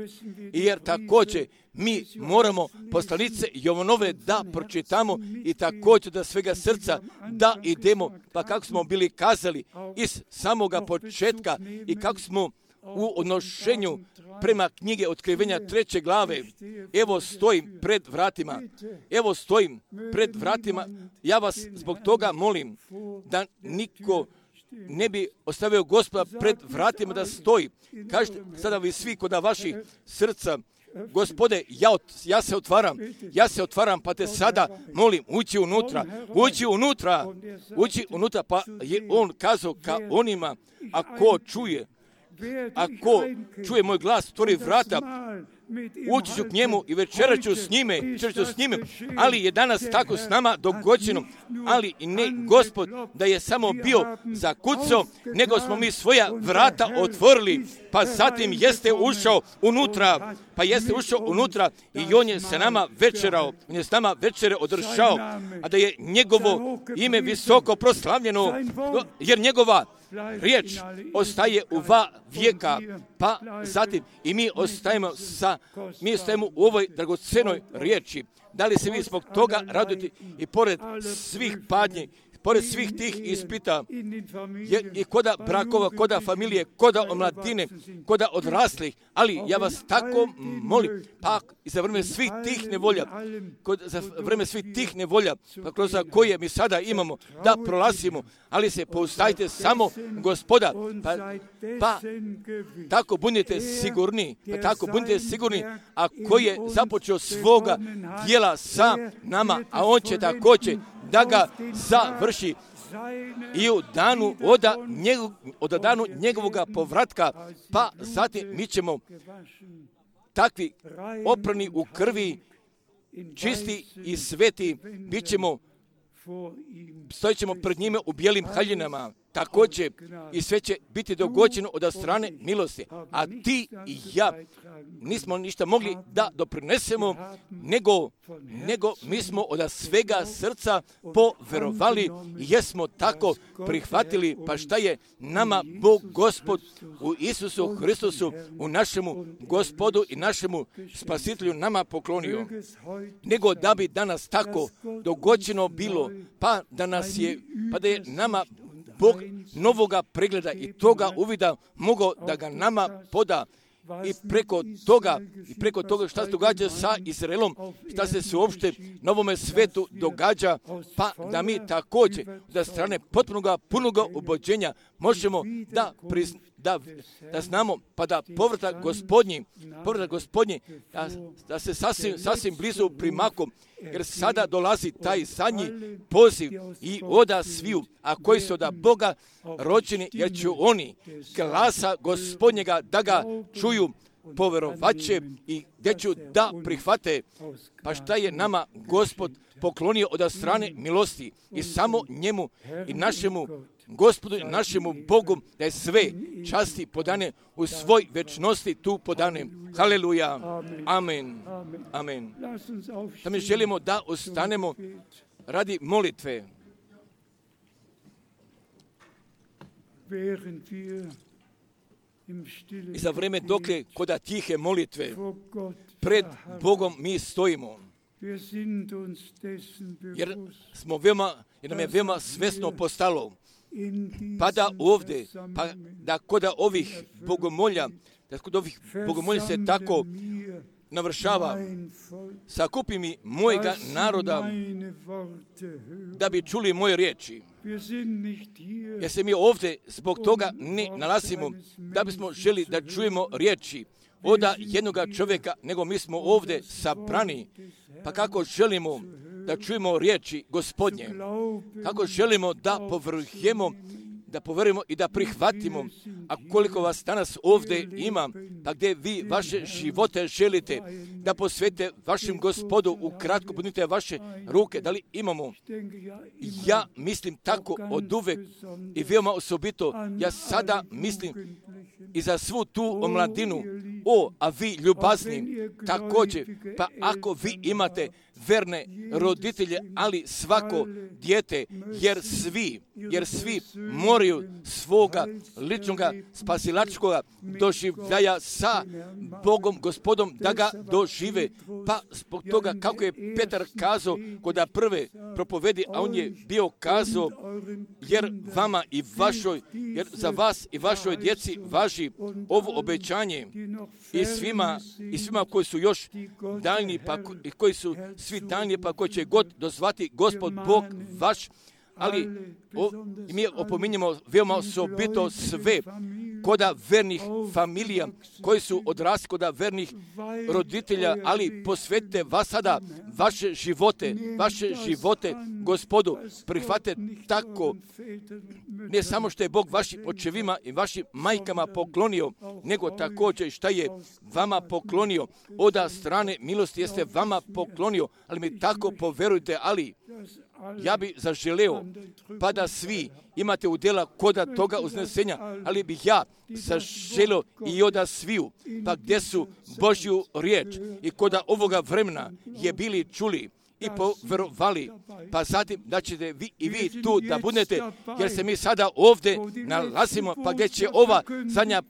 Jer također mi moramo poslanice Jovanove da pročitamo i također da svega srca da idemo, pa kako smo bili kazali iz samoga početka i kako smo u odnošenju prema knjige Otkrivenja treće glave, evo stojim pred vratima, evo stojim pred vratima, ja vas zbog toga molim da niko ne bi ostavio Gospoda pred vratima da stoji. Kažete sada vi svi kod vaših srca, Gospode, ja, ja se otvaram, ja se otvaram, pa te sada molim, ući unutra, ući unutra, ući unutra, pa je on kazao ka onima, ako čuje, ako čuje moj glas, otvori vrata, ući ću k njemu i večerat ću s njime, večerat ću s njime, ali je danas tako s nama dogođeno, ali i ne Gospod da je samo bio zakucao, nego smo mi svoja vrata otvorili, pa zatim jeste ušao unutra, pa jeste ušao unutra i on je sa nama večerao, on je s nama večere održao, a da je njegovo ime visoko proslavljeno, jer njegova riječ ostaje u va vijeka, pa zatim i mi ostajemo sa, mi ostajemo u ovoj dragocenoj riječi. Da li se vi zbog toga radujete i pored svih padnji, pored svih tih ispita, je, i koda brakova, koda familije, koda omladine, koda odraslih, ali ja vas tako molim, pa i za vreme svih tih nevolja, kod, za vreme svih tih nevolja, pa kroz koje mi sada imamo, da prolazimo, ali se poustajte samo Gospoda, pa, pa tako budite sigurni, pa tako budite sigurni, a koji je započeo svoga djela sa nama, a on će također da ga završi i u danu od, njegov, od danu njegovoga povratka, pa zatim mi ćemo takvi oprani u krvi, čisti i sveti, bit ćemo, stojit ćemo pred njime u bijelim haljinama, također i sve će biti dogođeno od strane milosti, a ti i ja nismo ništa mogli da doprinesemo, nego, nego mi smo od svega srca poverovali i jesmo tako prihvatili, pa šta je nama Bog Gospod u Isusu Hristusu, u našemu Gospodu i našemu Spasitelju nama poklonio, nego da bi danas tako dogođeno bilo, pa da nas je, pa da je nama Bog novoga pregleda i toga uvida mogao da ga nama poda i preko toga, i preko toga šta se događa sa Izraelom, šta se suopšte na ovome svetu događa, pa da mi također da strane potpunoga, punoga ubođenja možemo da, prizn, da, da znamo, pa da povratak Gospodnji, povratak Gospodnji, da, da se sasvim, sasvim blizu primakom, jer sada dolazi taj zadnji poziv i oda sviju, a koji su od Boga rođeni, jer će oni glasa Gospodnjega da ga čuju, poverovaće i gdje ću da prihvate. Pa šta je nama Gospod poklonio od strane milosti i samo njemu i našemu Gospodu i našemu Bogu da je sve časti podane u svoj večnosti tu podane. Haleluja. Amen. Amen. Da mi želimo da ostanemo radi molitve. I za vreme dokle koda tihe molitve pred Bogom mi stojimo. Jer smo veoma, jer nam je veoma svesno postalo, pa da ovdje, pa da koda ovih bogomolja, da kod ovih bogomolja se tako navršava, sakupi mi mojega naroda da bi čuli moje riječi. Jer se mi ovdje zbog toga ne nalazimo da bismo želi da čujemo riječi od jednoga čovjeka, nego mi smo ovdje sabrani. Pa kako želimo da čujemo riječi Gospodnje, kako želimo da povrhujemo, da poverujemo i da prihvatimo, a koliko vas danas ovdje ima, pa gdje vi vaše živote želite da posvetite vašem Gospodu, ukratko budite vaše ruke, da li imamo? Ja mislim tako od uvek i veoma osobito, ja sada mislim i za svu tu omladinu, o, a vi ljubazni, također, pa ako vi imate verne roditelje, ali svako dijete, jer svi, jer svi moraju svoga ličnoga spasilačkoga doživljaja sa Bogom, Gospodom, da ga dožive. Pa zbog toga, kako je Petar kazao kod prve propovedi, a on je bio kazao, jer vama i vašoj, jer za vas i vašoj djeci važi ovo obećanje i svima, i svima koji su još daljni, pa i koji su svi daljni, pa koji će god dozvati Gospod Bog vaš, ali o, mi opominjemo veoma osobito sve koda vernih familija koji su odrasli koda vernih roditelja, ali posvetite vas sada vaše živote, vaše živote Gospodu, prihvate tako, ne samo što je Bog vašim očevima i vašim majkama poklonio, nego također šta je vama poklonio, od strane milosti jeste vama poklonio, ali mi tako poverujte, ali ja bi zaželeo, pa da svi imate udjela koda toga uznesenja, ali bih ja zaželeo i oda sviju, pa gdje su Božju riječ i koda ovoga vremena je bili čuli i poverovali, pa zatim da ćete vi i vi tu da budete, jer se mi sada ovdje nalazimo, pa gdje će ova zadnja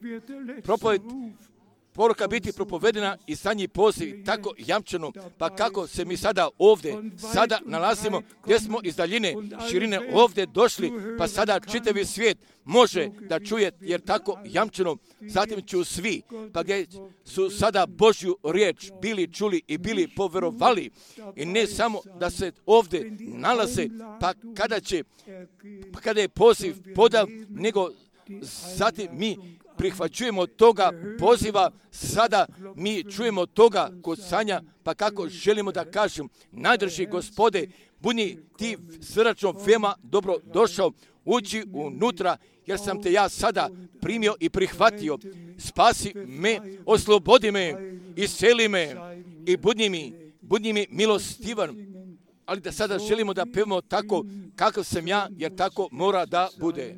propoved poruka biti propovedena i zadnji poziv tako jamčeno, pa kako se mi sada ovdje sada nalazimo, gdje smo iz daljine širine ovdje došli, pa sada čitavi svijet može da čuje, jer tako jamčeno, zatim ću svi, pa gdje su sada Božju riječ bili čuli i bili poverovali, i ne samo da se ovdje nalaze, pa kada će, pa kada je poziv podav, nego zatim mi prihvaćujemo toga poziva, sada mi čujemo toga kucanja, pa kako želimo da kažem, najdrži Gospode, budi ti srdačno veoma dobro došao, uđi unutra, jer sam te ja sada primio i prihvatio. Spasi me, oslobodi me, isceli me i budi mi, budi mi milostivan. Ali da sada želimo da pevamo tako kakav sam ja, jer tako mora da bude.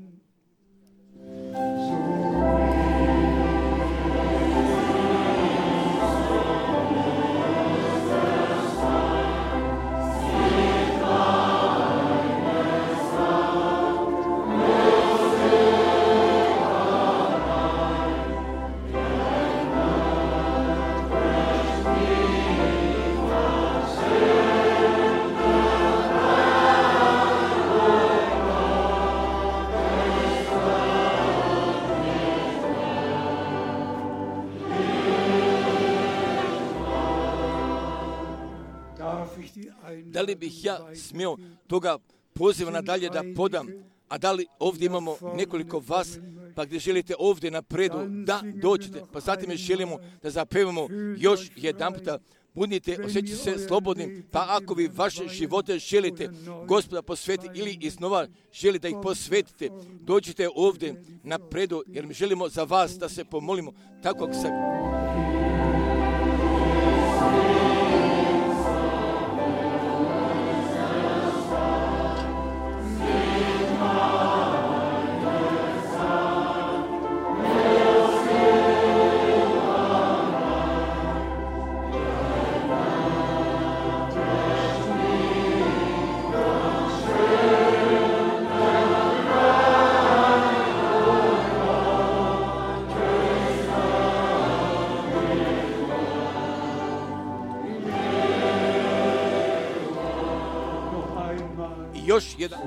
Amen. Da li bih ja smio toga poziva nadalje da podam? A da li ovdje imamo nekoliko vas, pa gdje želite ovdje napredu, da dođete. Pa zatim želimo da zapevamo još jedan puta. Budite, osjećajte se slobodnim, pa ako vi vaše živote želite Gospoda posvetiti ili iznova želite da ih posvetite, dođite ovdje napredu, jer mi želimo za vas da se pomolimo tako kako se... Još jedan.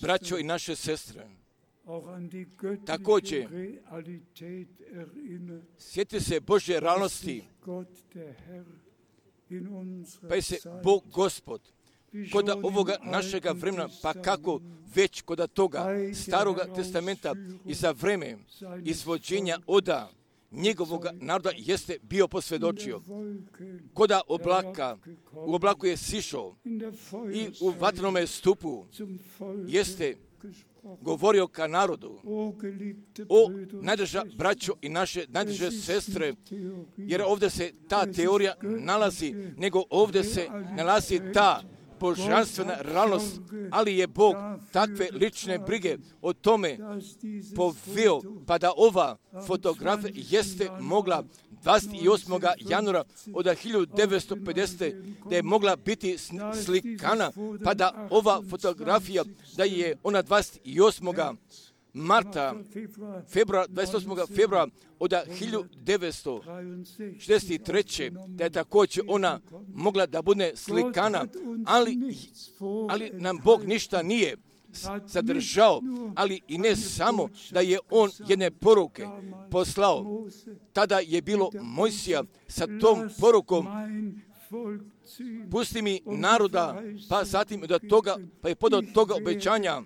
Braćo i naše sestre, također sjetite se Božje realnosti, pa je se Bog Gospod kod ovoga našega vremena, pa kako već kod toga staroga testamenta i za vreme izvođenja oda njegovog naroda jeste bio posvjedočio. Koda oblaka, u oblaku je sišao i u vatrenome stupu jeste govorio ka narodu. O najdrža braćo i naše najdrže sestre, jer ovdje se ta teorija nalazi, nego ovdje se nalazi ta božanstvena realnost, ali je Bog takve lične brige o tome poveo, pa da ova fotografija jeste mogla dvadeset osmog januara od hiljadu devetsto pedesete. da je mogla biti slikana, pa da ova fotografija, da je ona dvadeset osmog marta, februara, dvadeset osmog februara od hiljadu devetsto šezdeset treće. da je također ona mogla da bude slikana, ali, ali nam Bog ništa nije zadržao, ali i ne samo da je on jedne poruke poslao. Tada je bilo Mojsija sa tom porukom: pusti mi naroda, pa zatim do toga, pa je podao toga obećanja,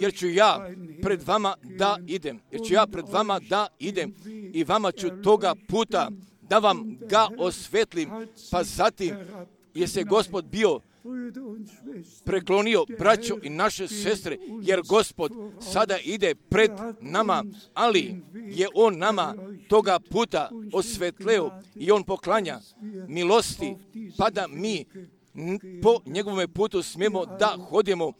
jer ću ja pred vama da idem, jer ću ja pred vama da idem i vama ću toga puta da vam ga osvetlim. Pa zatim je se Gospod bio preklonio, braćo i naše sestre, jer Gospod sada ide pred nama, ali je on nama toga puta osvetleo i on poklanja milosti, pa da mi po njegovom putu smijemo da hodimo.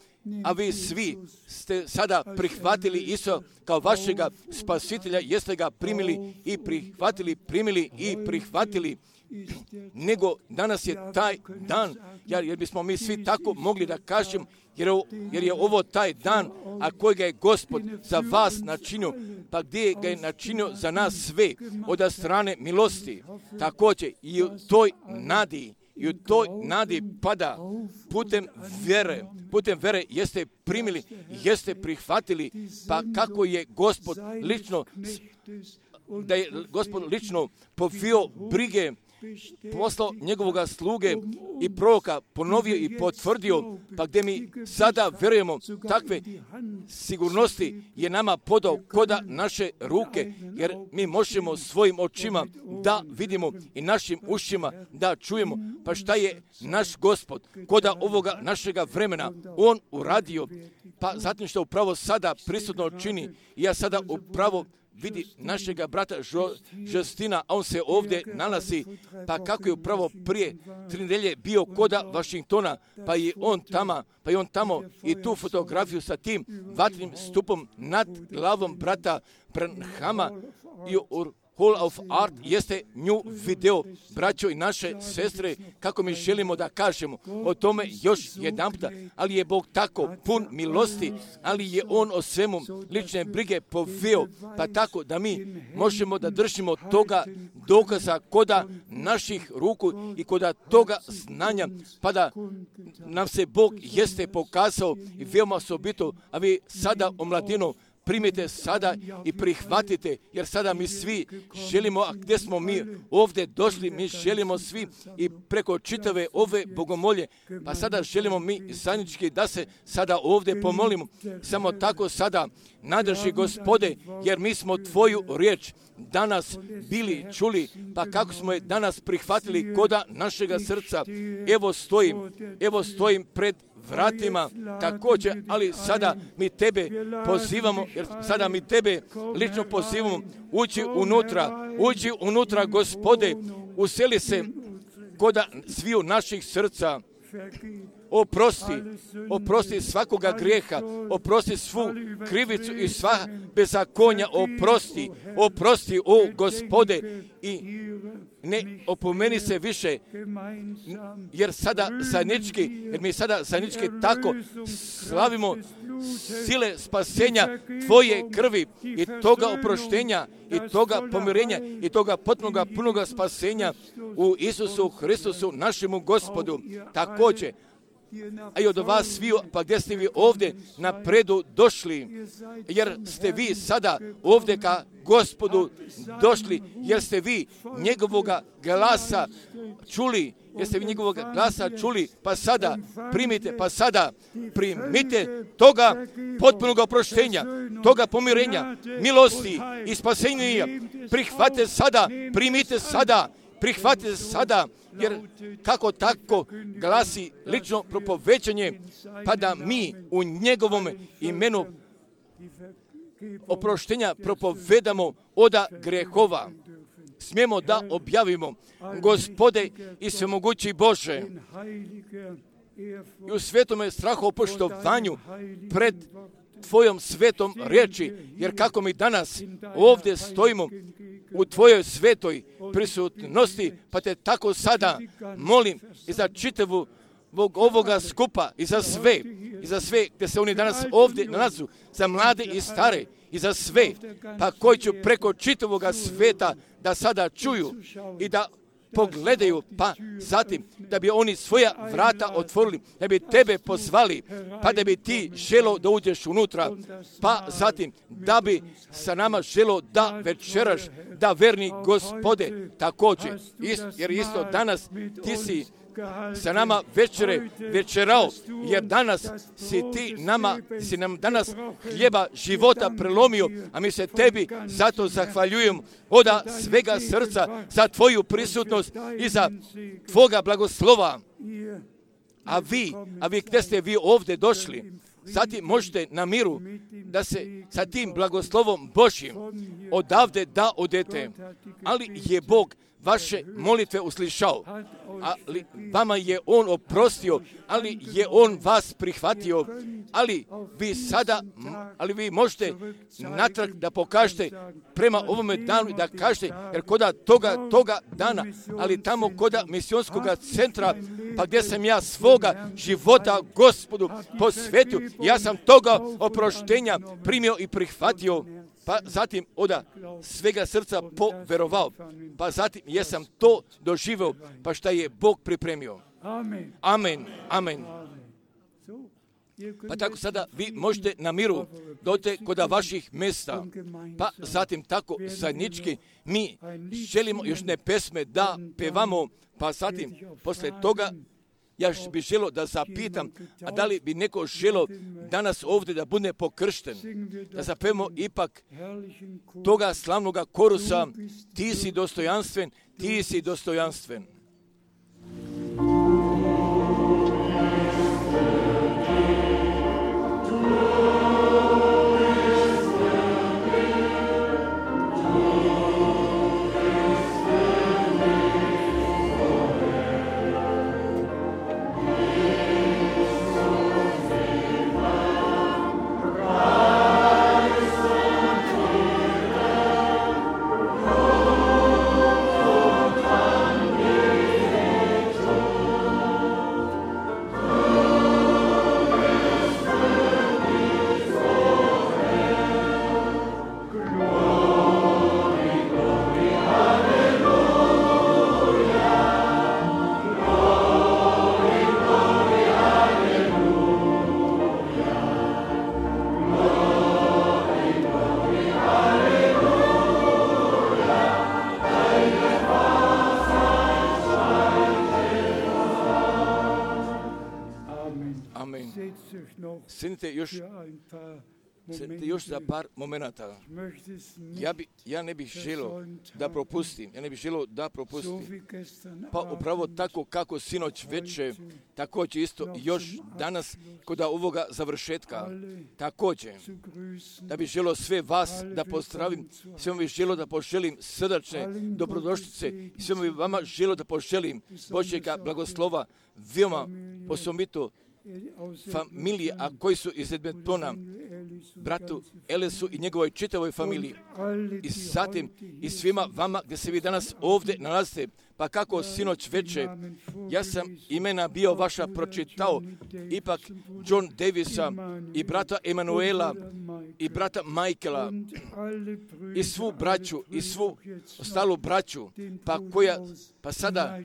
A vi svi ste sada prihvatili Isusa kao vašega spasitelja, jeste ga primili i prihvatili, primili i prihvatili. Nego danas je taj dan, jer bismo mi svi tako mogli da kažem, jer, jer je ovo taj dan, a kojega je Gospod za vas načinio, pa gdje ga je načinio za nas sve od strane milosti. Također i u toj nadi, i u toj nadi pada putem vjere, putem vjere jeste primili, jeste prihvatili, pa kako je Gospod lično, da je Gospod lično povio brige, poslao njegovoga sluge i proroka, ponovio i potvrdio, pa gdje mi sada vjerujemo, takve sigurnosti je nama podao koda naše ruke, jer mi možemo svojim očima da vidimo i našim ušima da čujemo, pa šta je naš Gospod koda ovoga našega vremena on uradio, pa zatim što upravo sada prisutno čini. I ja sada upravo vidi našega brata Justina, a on se ovdje nalazi, pa kako je upravo prije tri nedelje bio koda Washingtona, pa je on tamo, pa je on tamo i tu fotografiju sa tim vatrenim stupom nad glavom brata Branhama i u Hall of Art jeste nju video, braćo i naše sestre, kako mi želimo da kažemo o tome još jedan puta, ali je Bog tako pun milosti, ali je On o svemu lične brige poveo, pa tako da mi možemo da držimo toga dokaza koda naših ruku i koda toga znanja, pa da nam se Bog jeste pokazao i veoma osobito, a vi sada o mladinu primite sada i prihvatite, jer sada mi svi želimo, a gdje smo mi ovdje došli, mi želimo svi i preko čitave ove bogomolje, pa sada želimo mi zajednički da se sada ovdje pomolimo. Samo tako sada nadrži Gospode, jer mi smo Tvoju riječ danas bili čuli, pa kako smo je danas prihvatili koda našega srca. Evo stojim, evo stojim pred vratima također, ali sada mi Tebe pozivamo, jer sada mi Tebe lično pozivamo, uđi unutra, uđi unutra, Gospode, useli se koda sviju naših srca. Oprosti, oprosti svakoga grijeha, oprosti svu krivicu i sva bezakonja, oprosti, oprosti, o Gospode, i ne opomeni se više, jer sada zajednički, jer mi sada zajednički tako slavimo sile spasenja Tvoje krvi i toga oproštenja i toga pomirenja i toga potpunoga punoga spasenja u Isusu Hristusu, našemu Gospodu. Također, a i od vas sviju, pa gdje ste vi ovdje napredu došli, jer ste vi sada ovdje ka Gospodu došli, jer ste vi njegovoga glasa čuli, jer ste vi njegovoga glasa čuli, pa sada primite, pa sada primite toga potpunog oproštenja, toga pomirenja, milosti i spasenja. Prihvatite sada, primite sada, prihvatite sada, jer kako tako glasi lično propovećanje, pa da mi u njegovom imenu oproštenja propovedamo oda grehova. Smijemo da objavimo, Gospode i svemogući Bože, i u svetome strahopoštovanju pred Tvojom svetom riječi, jer kako mi danas ovdje stojimo u Tvojoj svetoj prisutnosti, pa te tako sada molim i za čitavu ovoga skupa i za sve, i za sve gdje se oni danas ovdje nalazu, za mlade i stare, i za sve, pa koji ću preko čitavoga sveta da sada čuju i da pogledaju, pa zatim da bi oni svoja vrata otvorili, da bi Tebe pozvali, pa da bi Ti želo da uđeš unutra, pa zatim da bi sa nama želo da večeraš, da verni Gospode također, jer isto danas Ti si sa nama večere večerao, jer danas si Ti nama, si nam danas hljeba života prelomio, a mi se Tebi zato zahvaljujemo oda svega srca za Tvoju prisutnost i za Tvoga blagoslova. A vi, a vi gdje ste vi ovdje došli, zatim možete na miru da se sa tim blagoslovom Božjim odavde da odete, ali je Bog vaše molitve uslišao, ali vama je On oprostio, ali je On vas prihvatio, ali vi sada, ali vi možete natrag da pokažete prema ovome danu i da kažete, jer koda toga, toga dana, ali tamo koda misionskog centra, pa gdje sam ja svoga života Gospodu posvetio, ja sam toga oproštenja primio i prihvatio, pa zatim oda svega srca poverovao, pa zatim jesam to doživio, pa šta je Bog pripremio. Amen, amen. Pa tako sada vi možete na miru dođete kod vaših mjesta, pa zatim tako zajednički mi želimo još ne pesme da pevamo, pa zatim posle toga ja bih želio da zapitam, a da li bi neko želio danas ovdje da bude pokršten, da zapevamo ipak toga slavnoga korusa, Ti si dostojanstven, Ti si dostojanstven. Amen. Sjednite još, sjednite još za par momenata. Ja, bi, ja ne bih želio da propustim, ja ne bih želio da propustim. Pa upravo tako kako sinoć veče, također isto još danas kod ovoga završetka, također da bih želio sve vas da pozdravim, sve bih želio da poželim srdačne dobrodošlice, sve bih vama želio da poželim Božjega blagoslova, veoma osobito familije, a koji su iz Edmontona, bratu Elisu i njegovoj čitavoj familiji. I zatim i svima vama gdje se vi danas ovdje nalazite, pa kako sinoć veče, ja sam imena bio vaša pročitao, ipak John Davisa i brata Emanuela i brata Michaela i svu braću i svu ostalu braću, pa koja, pa sada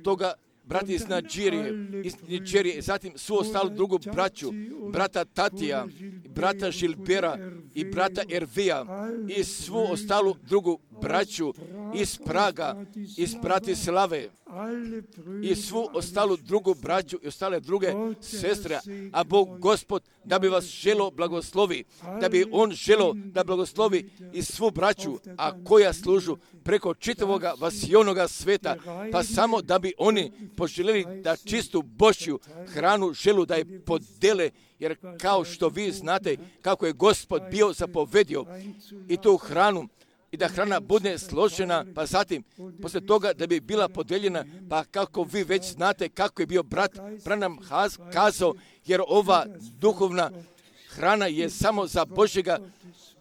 toga brati iz Nigerije, iz Nigerije, zatim svu ostalu drugu braću, brata Tatija, brata Žilbera i brata Ervija i svu ostalu drugu braću iz Praga, iz Bratislave i svu ostalu drugu braću i ostale druge sestre, a Bog Gospod da bi vas želo blagoslovi, da bi On želo da blagoslovi i svu braću, a koja služu preko čitavoga vasionoga sveta, pa samo da bi oni poželjeli da čistu Božju hranu želu da je podele, jer kao što vi znate kako je Gospod bio zapovedio i tu hranu, i da hrana bude složena, pa zatim, posle toga da bi bila podeljena, pa kako vi već znate kako je bio brat Branham kazao, jer ova duhovna hrana je samo za Božjega,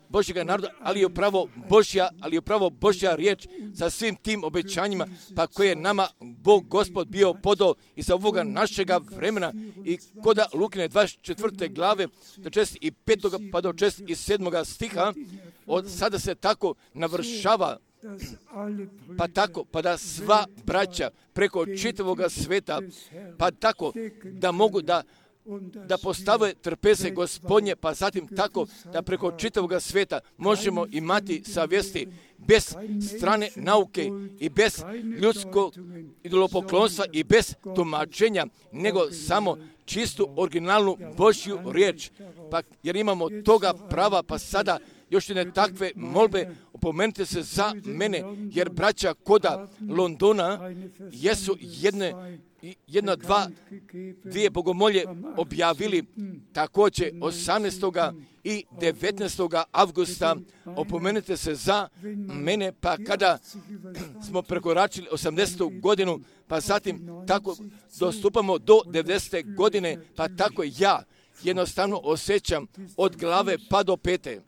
Božjega naroda, ali je upravo Božja, ali je upravo Božja riječ sa svim tim obećanjima, pa koje je nama Bog Gospod bio podao i za ovoga našega vremena i koda Lukine dvadeset četvrte glave do šezdeset petog pa do šezdeset sedmog stiha, od sada se tako navršava, pa tako, pa da sva braća preko čitavoga sveta, pa tako da mogu da da postave trpeze Gospodnje, pa zatim tako da preko čitavoga sveta možemo imati savjesti bez strane nauke i bez ljudskog idolopoklonstva i bez tumačenja, nego samo čistu originalnu Božju riječ. Pa jer imamo toga prava, pa sada još jedne takve molbe, opomenite se za mene, jer braća koda Londona jesu jedne, jedna, dva, dvije bogomolje objavili također osamnaestog i devetnaestog avgusta. Opomenite se za mene, pa kada smo prekoračili osamdesetu godinu, pa zatim tako dostupamo do devedesete godine, pa tako ja jednostavno osjećam od glave pa do pete.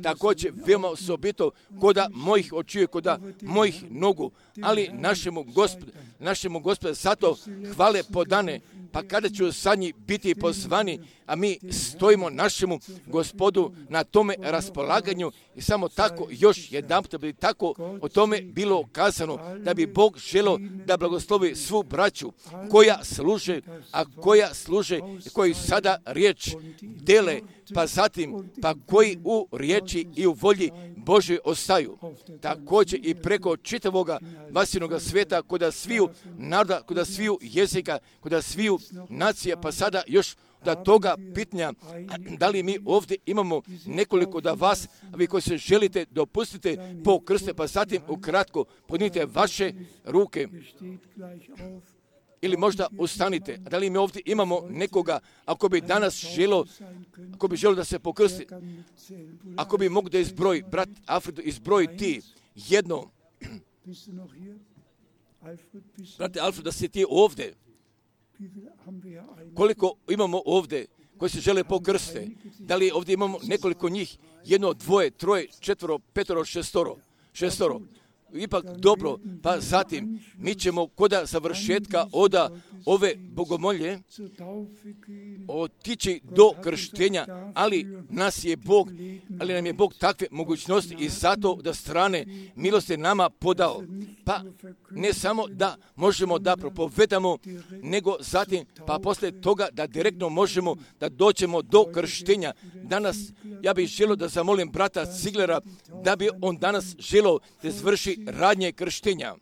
Također veoma osobito koda mojih očiju, koda mojih nogu, ali našemu Gospodu, našemu Gospodu zato hvale podane, pa kada ću sad njih biti pozvani, a mi stojimo našemu Gospodu na tome raspolaganju i samo tako još jedanput da bi tako o tome bilo kazano, da bi Bog želio da blagoslovi svu braću koja služe, a koja služe i koji sada riječ dele, pa zatim, pa koji u riječi i u volji Božoj ostaju. Također i preko čitavoga vasinoga sveta, koda sviju naroda, koda sviju jezika, koda sviju nacija, pa sada još da toga pitanja, da li mi ovdje imamo nekoliko da vas, a vi koji se želite dopustite po krste, pa zatim ukratko podnite vaše ruke. Ili možda ustanite. Da li mi ovdje imamo nekoga, ako bi danas želo, ako bi želo da se pokrsti, ako bi mogu da izbroji, brat Alfredo, izbroji ti jedno. Brate Alfredo, da si ti ovdje. Koliko imamo ovdje koji se žele pokrste? Da li ovdje imamo nekoliko njih? Jedno, dvoje, troje, četvoro, petoro, šestoro. Šestoro. Ipak dobro, pa zatim mi ćemo koda završetka oda ove bogomolje otići do krštenja, ali nas je Bog, ali nam je Bog takve mogućnosti i zato da strane milosti nama podao. Pa ne samo da možemo da propovedamo, nego zatim pa poslije toga da direktno možemo da dođemo do krštenja. Danas ja bih želio da zamolim brata Ziglera da bi on danas želio da izvrši radi radnje krštenja.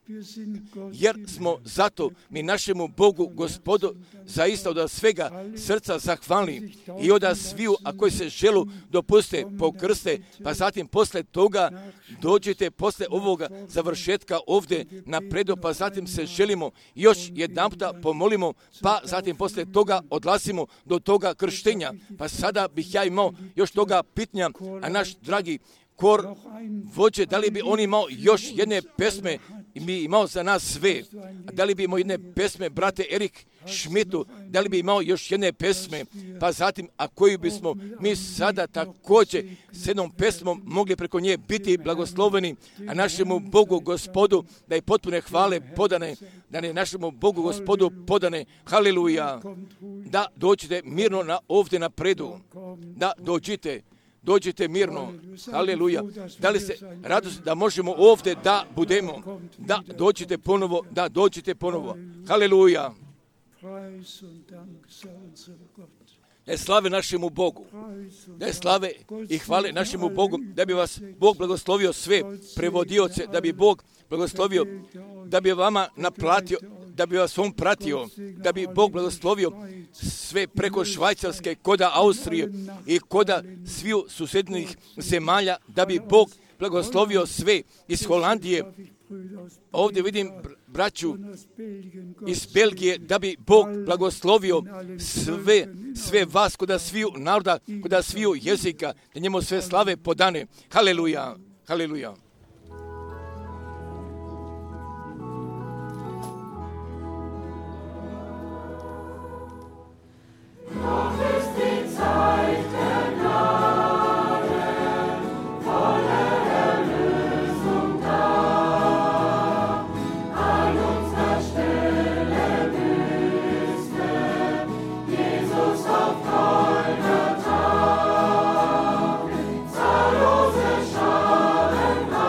Jer smo zato mi našemu Bogu, Gospodu, zaista od svega srca zahvalni i od sviju, a koji se želu dopuste pokrste, pa zatim posle toga dođete posle ovoga završetka ovdje napredu, pa zatim se želimo još jedanputa pomolimo, pa zatim posle toga odlasimo do toga krštenja. Pa sada bih ja imao još toga pitanja, a naš dragi kor vođe, da li bi on imao još jedne pesme i mi imao za nas sve, a da li bi imao jedne pesme, brate Erik Šmitu, da li bi imao još jedne pesme, pa zatim, a koju bismo mi sada također s jednom pesmom mogli preko nje biti blagosloveni, a našemu Bogu Gospodu da je potpune hvale podane, da je našemu Bogu Gospodu podane, haleluja, da dođete mirno na ovdje napredu, da dođite, dođite mirno, haleluja, da li se radost da možemo ovdje da budemo, da dođite ponovo, da dođite ponovo, haleluja. Da je slave našemu Bogu, da je slave i hvale našemu Bogu, da bi vas Bog blagoslovio sve prevodioce, da bi Bog blagoslovio, da bi vama naplatio, da bi vas on pratio, da bi Bog blagoslovio sve preko Švajcarske, koda Austrije i koda sviju susjednih zemalja, da bi Bog blagoslovio sve iz Holandije. Ovdje vidim braću iz Belgije, da bi Bog blagoslovio sve, sve vas koda sviju naroda, koda sviju jezika, da njemu sve slave podane. Haleluja, haleluja. Zahllose Scharen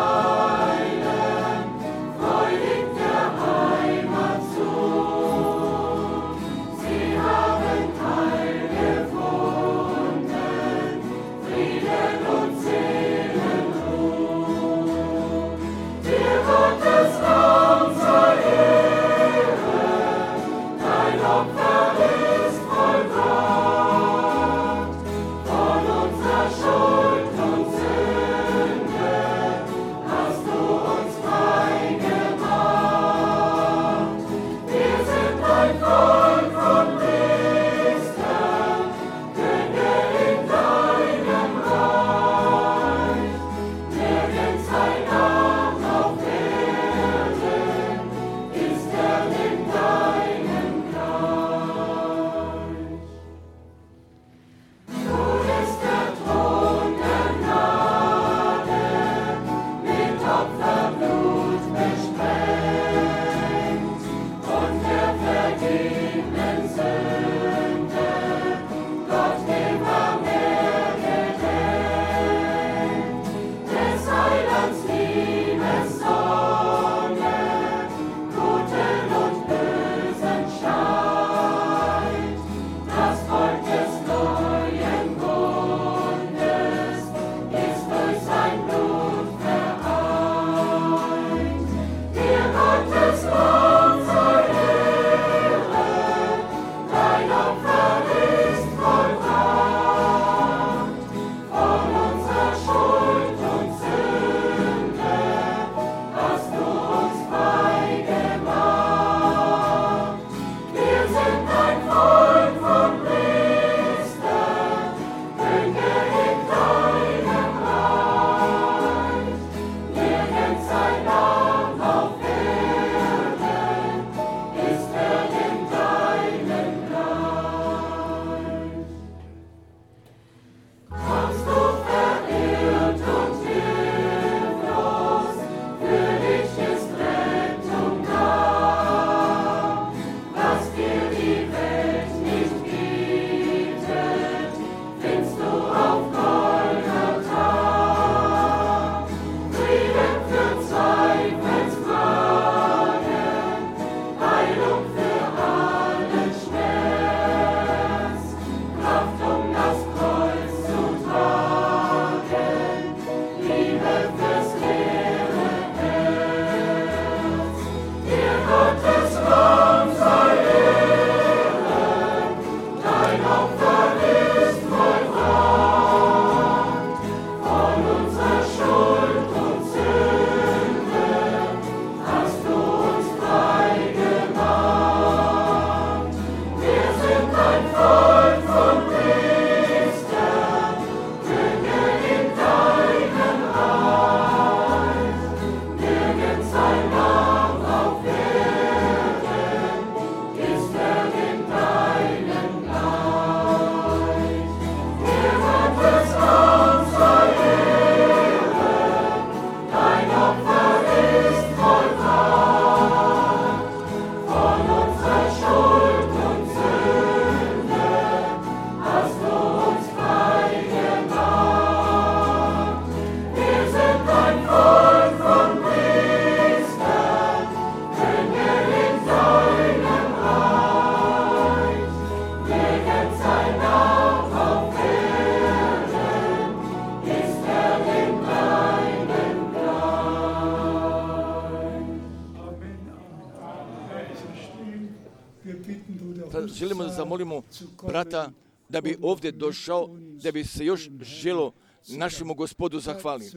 želimo da zamolimo brata da bi ovdje došao, da bi se još želo našemu Gospodu zahvali.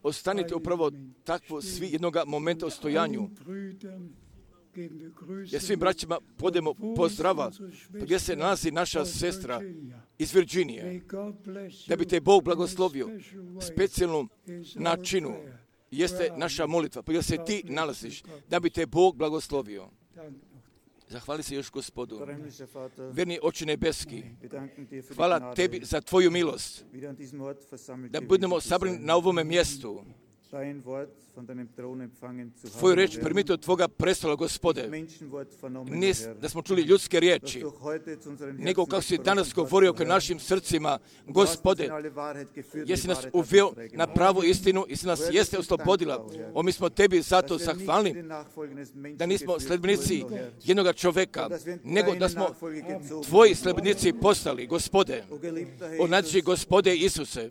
Ostanite upravo takvo svi jednoga momenta u stojanju. Jer svim braćima podemo pozdrava gdje se nalazi naša sestra iz Virginije. Da bi te Bog blagoslovio specijalnom načinu. Jeste naša molitva, pa gdje se ti nalaziš, da bi te Bog blagoslovio. Zahvali se još Gospodu. Verni Oče nebeski, hvala tebi za tvoju milost, da budemo sabrani na ovome mjestu. Tvoju reč primiti od tvoga prestola, Gospode. Ne da smo čuli ljudske riječi, nego kako si danas govorio ka našim srcima, Gospode, jesi nas uveo na pravu istinu i si nas jeste oslobodila. O, mi smo tebi zato zahvalni da nismo sledbenici jednoga čoveka, nego da smo tvoji sledbenici postali, Gospode. O, nađi, Gospode Isuse,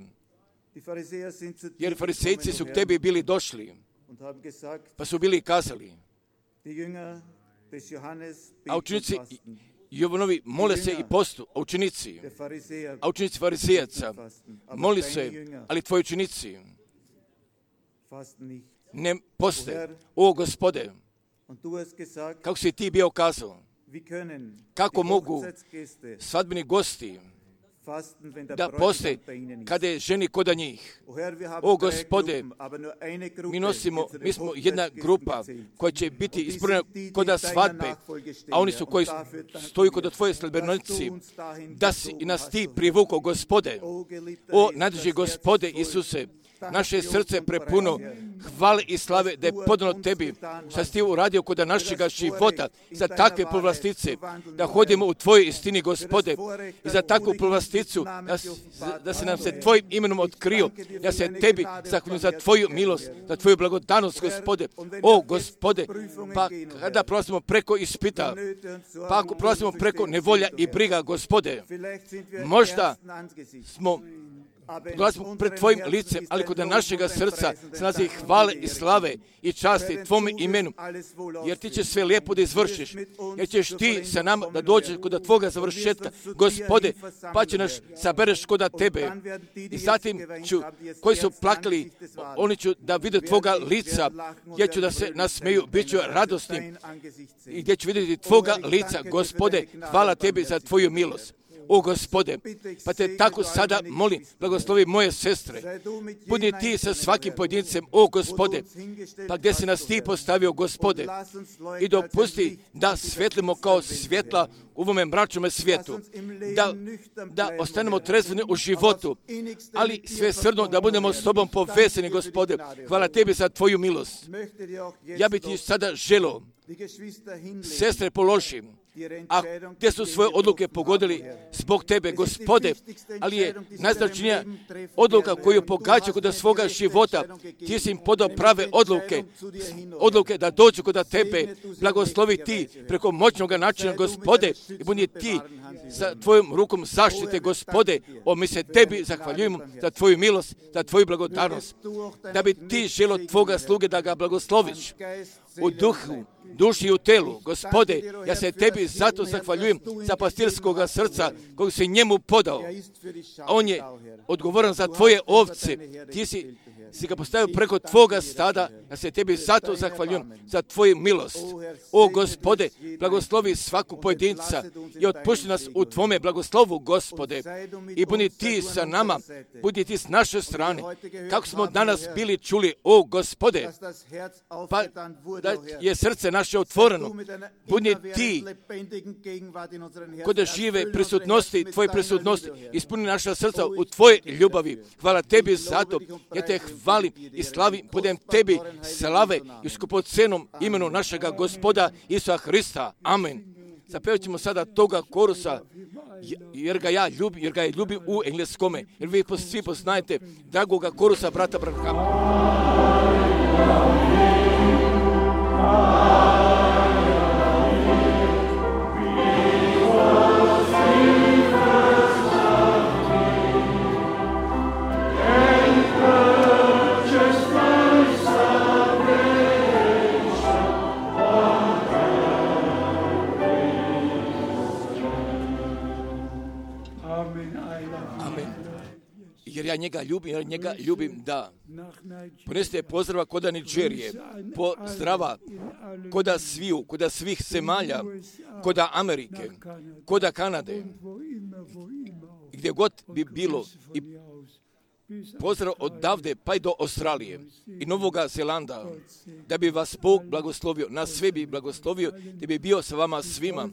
jer farisejci su k tebi bili došli, pa su bili kazali, a učenici Jovanovi mole se i postu, a učenici, a učenici farisejaca moli se, ali tvoji učenici ne poste. O, Gospode, kako si ti bio kazao, kako mogu svadbeni gosti da poste kada je ženi koda njih. O, Gospode, mi nosimo, mi smo jedna grupa koja će biti ispunjena koda svadbe, a oni su koji stoju kod tvoje sledbenici, da si i nas ti privukao, Gospode. O, nadrži, Gospode Isuse, naše srce prepuno hvale i slave da je podano tebi, što si ti uradio kod našega života, za takve povlastice, da hodimo u tvojoj istini, Gospode, i za takvu povlasticu, da, da se nam se tvojim imenom otkrio, da se tebi zahvaljujem za tvoju milost, za tvoju blagodanost, Gospode. O, Gospode, pa kada prolazimo preko ispita, pa ako prolazimo preko nevolja i briga, Gospode, možda smo dolazimo pred tvojim licem, ali kod našega srca se nalazi hvale i slave i časti tvome imenu, jer ti će sve lijepo da izvršiš, jer ćeš ti sa nama da dođeš kod tvoga završetka, Gospode, pa će nas sabereš kod tebe. I zatim ću, koji su plakali, oni ću da vide tvoga lica, gdje ću da se nasmeju, bit ću radosni i gdje ću vidjeti tvoga lica, Gospode, hvala tebi za tvoju milost. O, Gospode, pa te tako sada molim, blagoslovi moje sestre, budi ti sa svakim pojedincem, o, Gospode, pa gdje si nas ti postavio, Gospode, i dopusti da svjetlimo kao svjetla u ovome mračnome svijetu, da, da ostanemo trezveni u životu, ali sve srdno da budemo s tobom povezani, Gospode. Hvala tebi za tvoju milost. Ja bih ti sada želio, sestre, položim, a gdje su svoje odluke pogodili zbog tebe, Gospode, ali je najznačajnija odluka koju pogađa kod svoga života, ti si im podao prave odluke, odluke da dođu kod tebe, blagoslovi ti preko moćnog načina, Gospode, i budi ti sa tvojom rukom zaštite, Gospode. O, mi se tebi zahvaljujemo za tvoju milost, za tvoju blagodarnost, da bi ti želo tvoga sluge da ga blagosloviš u duhu, duši i u telu, Gospode. Ja se tebi zato zahvaljujem za pastirskoga srca kojeg si njemu podao. On je odgovoran za tvoje ovce. Ti si, si ga postavio preko tvoga stada. Ja se tebi zato zahvaljujem za tvoju milost. O, Gospode, blagoslovi svaku pojedinca i otpušti nas u tvome blagoslovu, Gospode. I budi ti sa nama, budi ti s naše strane. Kako smo danas bili čuli, o, Gospode, pa da je srce naše otvoreno. Budi ti kod žive prisutnosti, tvoje prisutnosti, ispuni naša srca u tvoje ljubavi. Hvala tebi zato, ja te hvalim i slavim, budem tebi slave i skupocenom imenu našega Gospoda Isusa Hrista. Amen. Zapevat ćemo sada toga korusa, jer ga ja ljubim, jer ga je ljubim u engleskome, jer vi svi poznajete dragoga korusa brata Branhama. Amen. Jer ja njega ljubim, jer njega ljubim, da. Ponesite pozdrava koda Niđerije, pozdrava koda sviju, koda svih zemalja, koda Amerike, koda Kanade, gdje god bi bilo, i pozdrav odavde pa i do Australije i Novoga Zelanda, da bi vas Bog blagoslovio, na sve bi blagoslovio, da bi bio sa vama svima.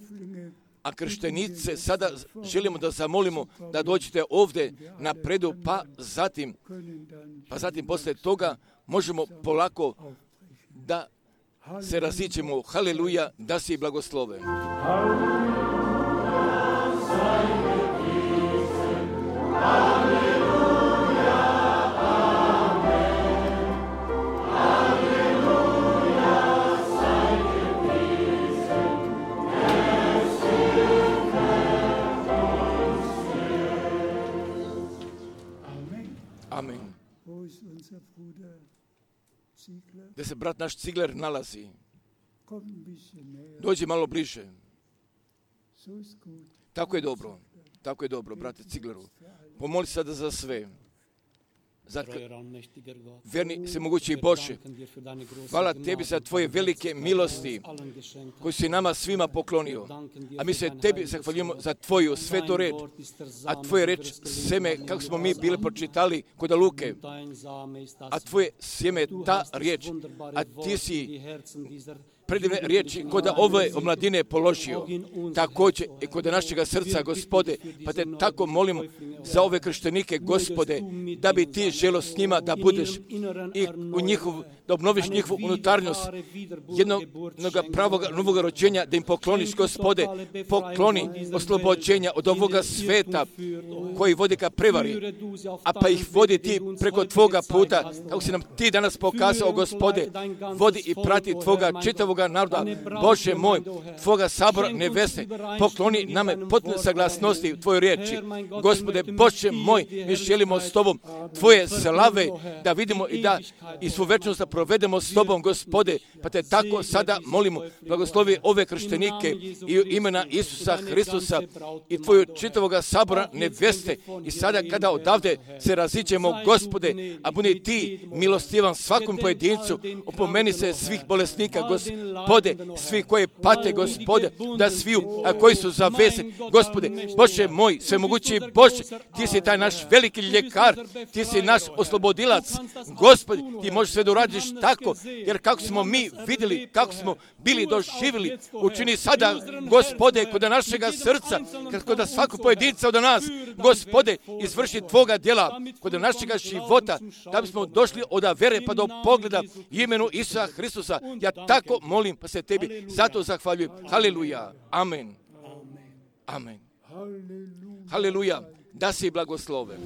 A krštenice sada želimo da zamolimo da dođete ovdje na predu, pa zatim, pa zatim poslije toga možemo polako da se raziđemo. Haleluja, da si blagoslove. Amen. Gdje se brat naš Cigler nalazi? Dođi malo bliže. Tako je dobro. Tako je dobro, brate Cigleru. Pomoli sada za sve. Zato, verni se mogući Bože, hvala tebi za tvoje velike milosti koje si nama svima poklonio. A mi se tebi zahvaljujemo za tvoju svetu reč, a tvoje reč seme, kako smo mi bili pročitali kod Luke, a tvoje sjeme je ta riječ, a ti si predivne riječi kod ove omladine položio, također i kod našega srca, Gospode, pa te tako molimo za ove krštenike, Gospode, da bi ti želo s njima da budeš i u njihov, da obnoviš njihovu unutarnjost jednog pravog novog rođenja, da im pokloniš, Gospode, pokloni oslobođenja od ovoga sveta koji vodi ka prevari, a pa ih vodi ti preko tvoga puta, kako si nam ti danas pokazao, Gospode, vodi i prati tvoga čitavog naroda, Bože moj, tvoga sabora nevesne, pokloni nam potpune saglasnosti u tvojoj riječi. Gospode, Bože moj, mi želimo s tobom tvoje slave da vidimo i da i svu večnost da provedemo s tobom, Gospode, pa te tako sada molimo, blagoslovi ove krštenike i u imena Isusa Hristusa i tvoju čitavoga sabora neveste i sada kada odavde se raziđemo, Gospode, a budi ti milostivan svakom pojedincu, opomeni se svih bolesnika, Gospode, svi koji pate, Gospode, da sviju, a koji su zavezeni, Gospode, Bože moj, svemogući Bože, ti si taj naš veliki ljekar, ti si naš oslobodilac, Gospode, ti možeš sve da uradiš tako, jer kako smo mi vidjeli, kako smo bili doživjeli, učini sada, Gospode, kod našega srca, kod svakog pojedinca od nas, Gospode, izvrši tvoga djela, kod našega života, da bismo došli od vere pa do pogleda imenu Isusa Hristusa. Ja tako molim, pa se tebi zato zahvaljujem. Haleluja. Amen. Amen. Haleluja. Da si blagosloven.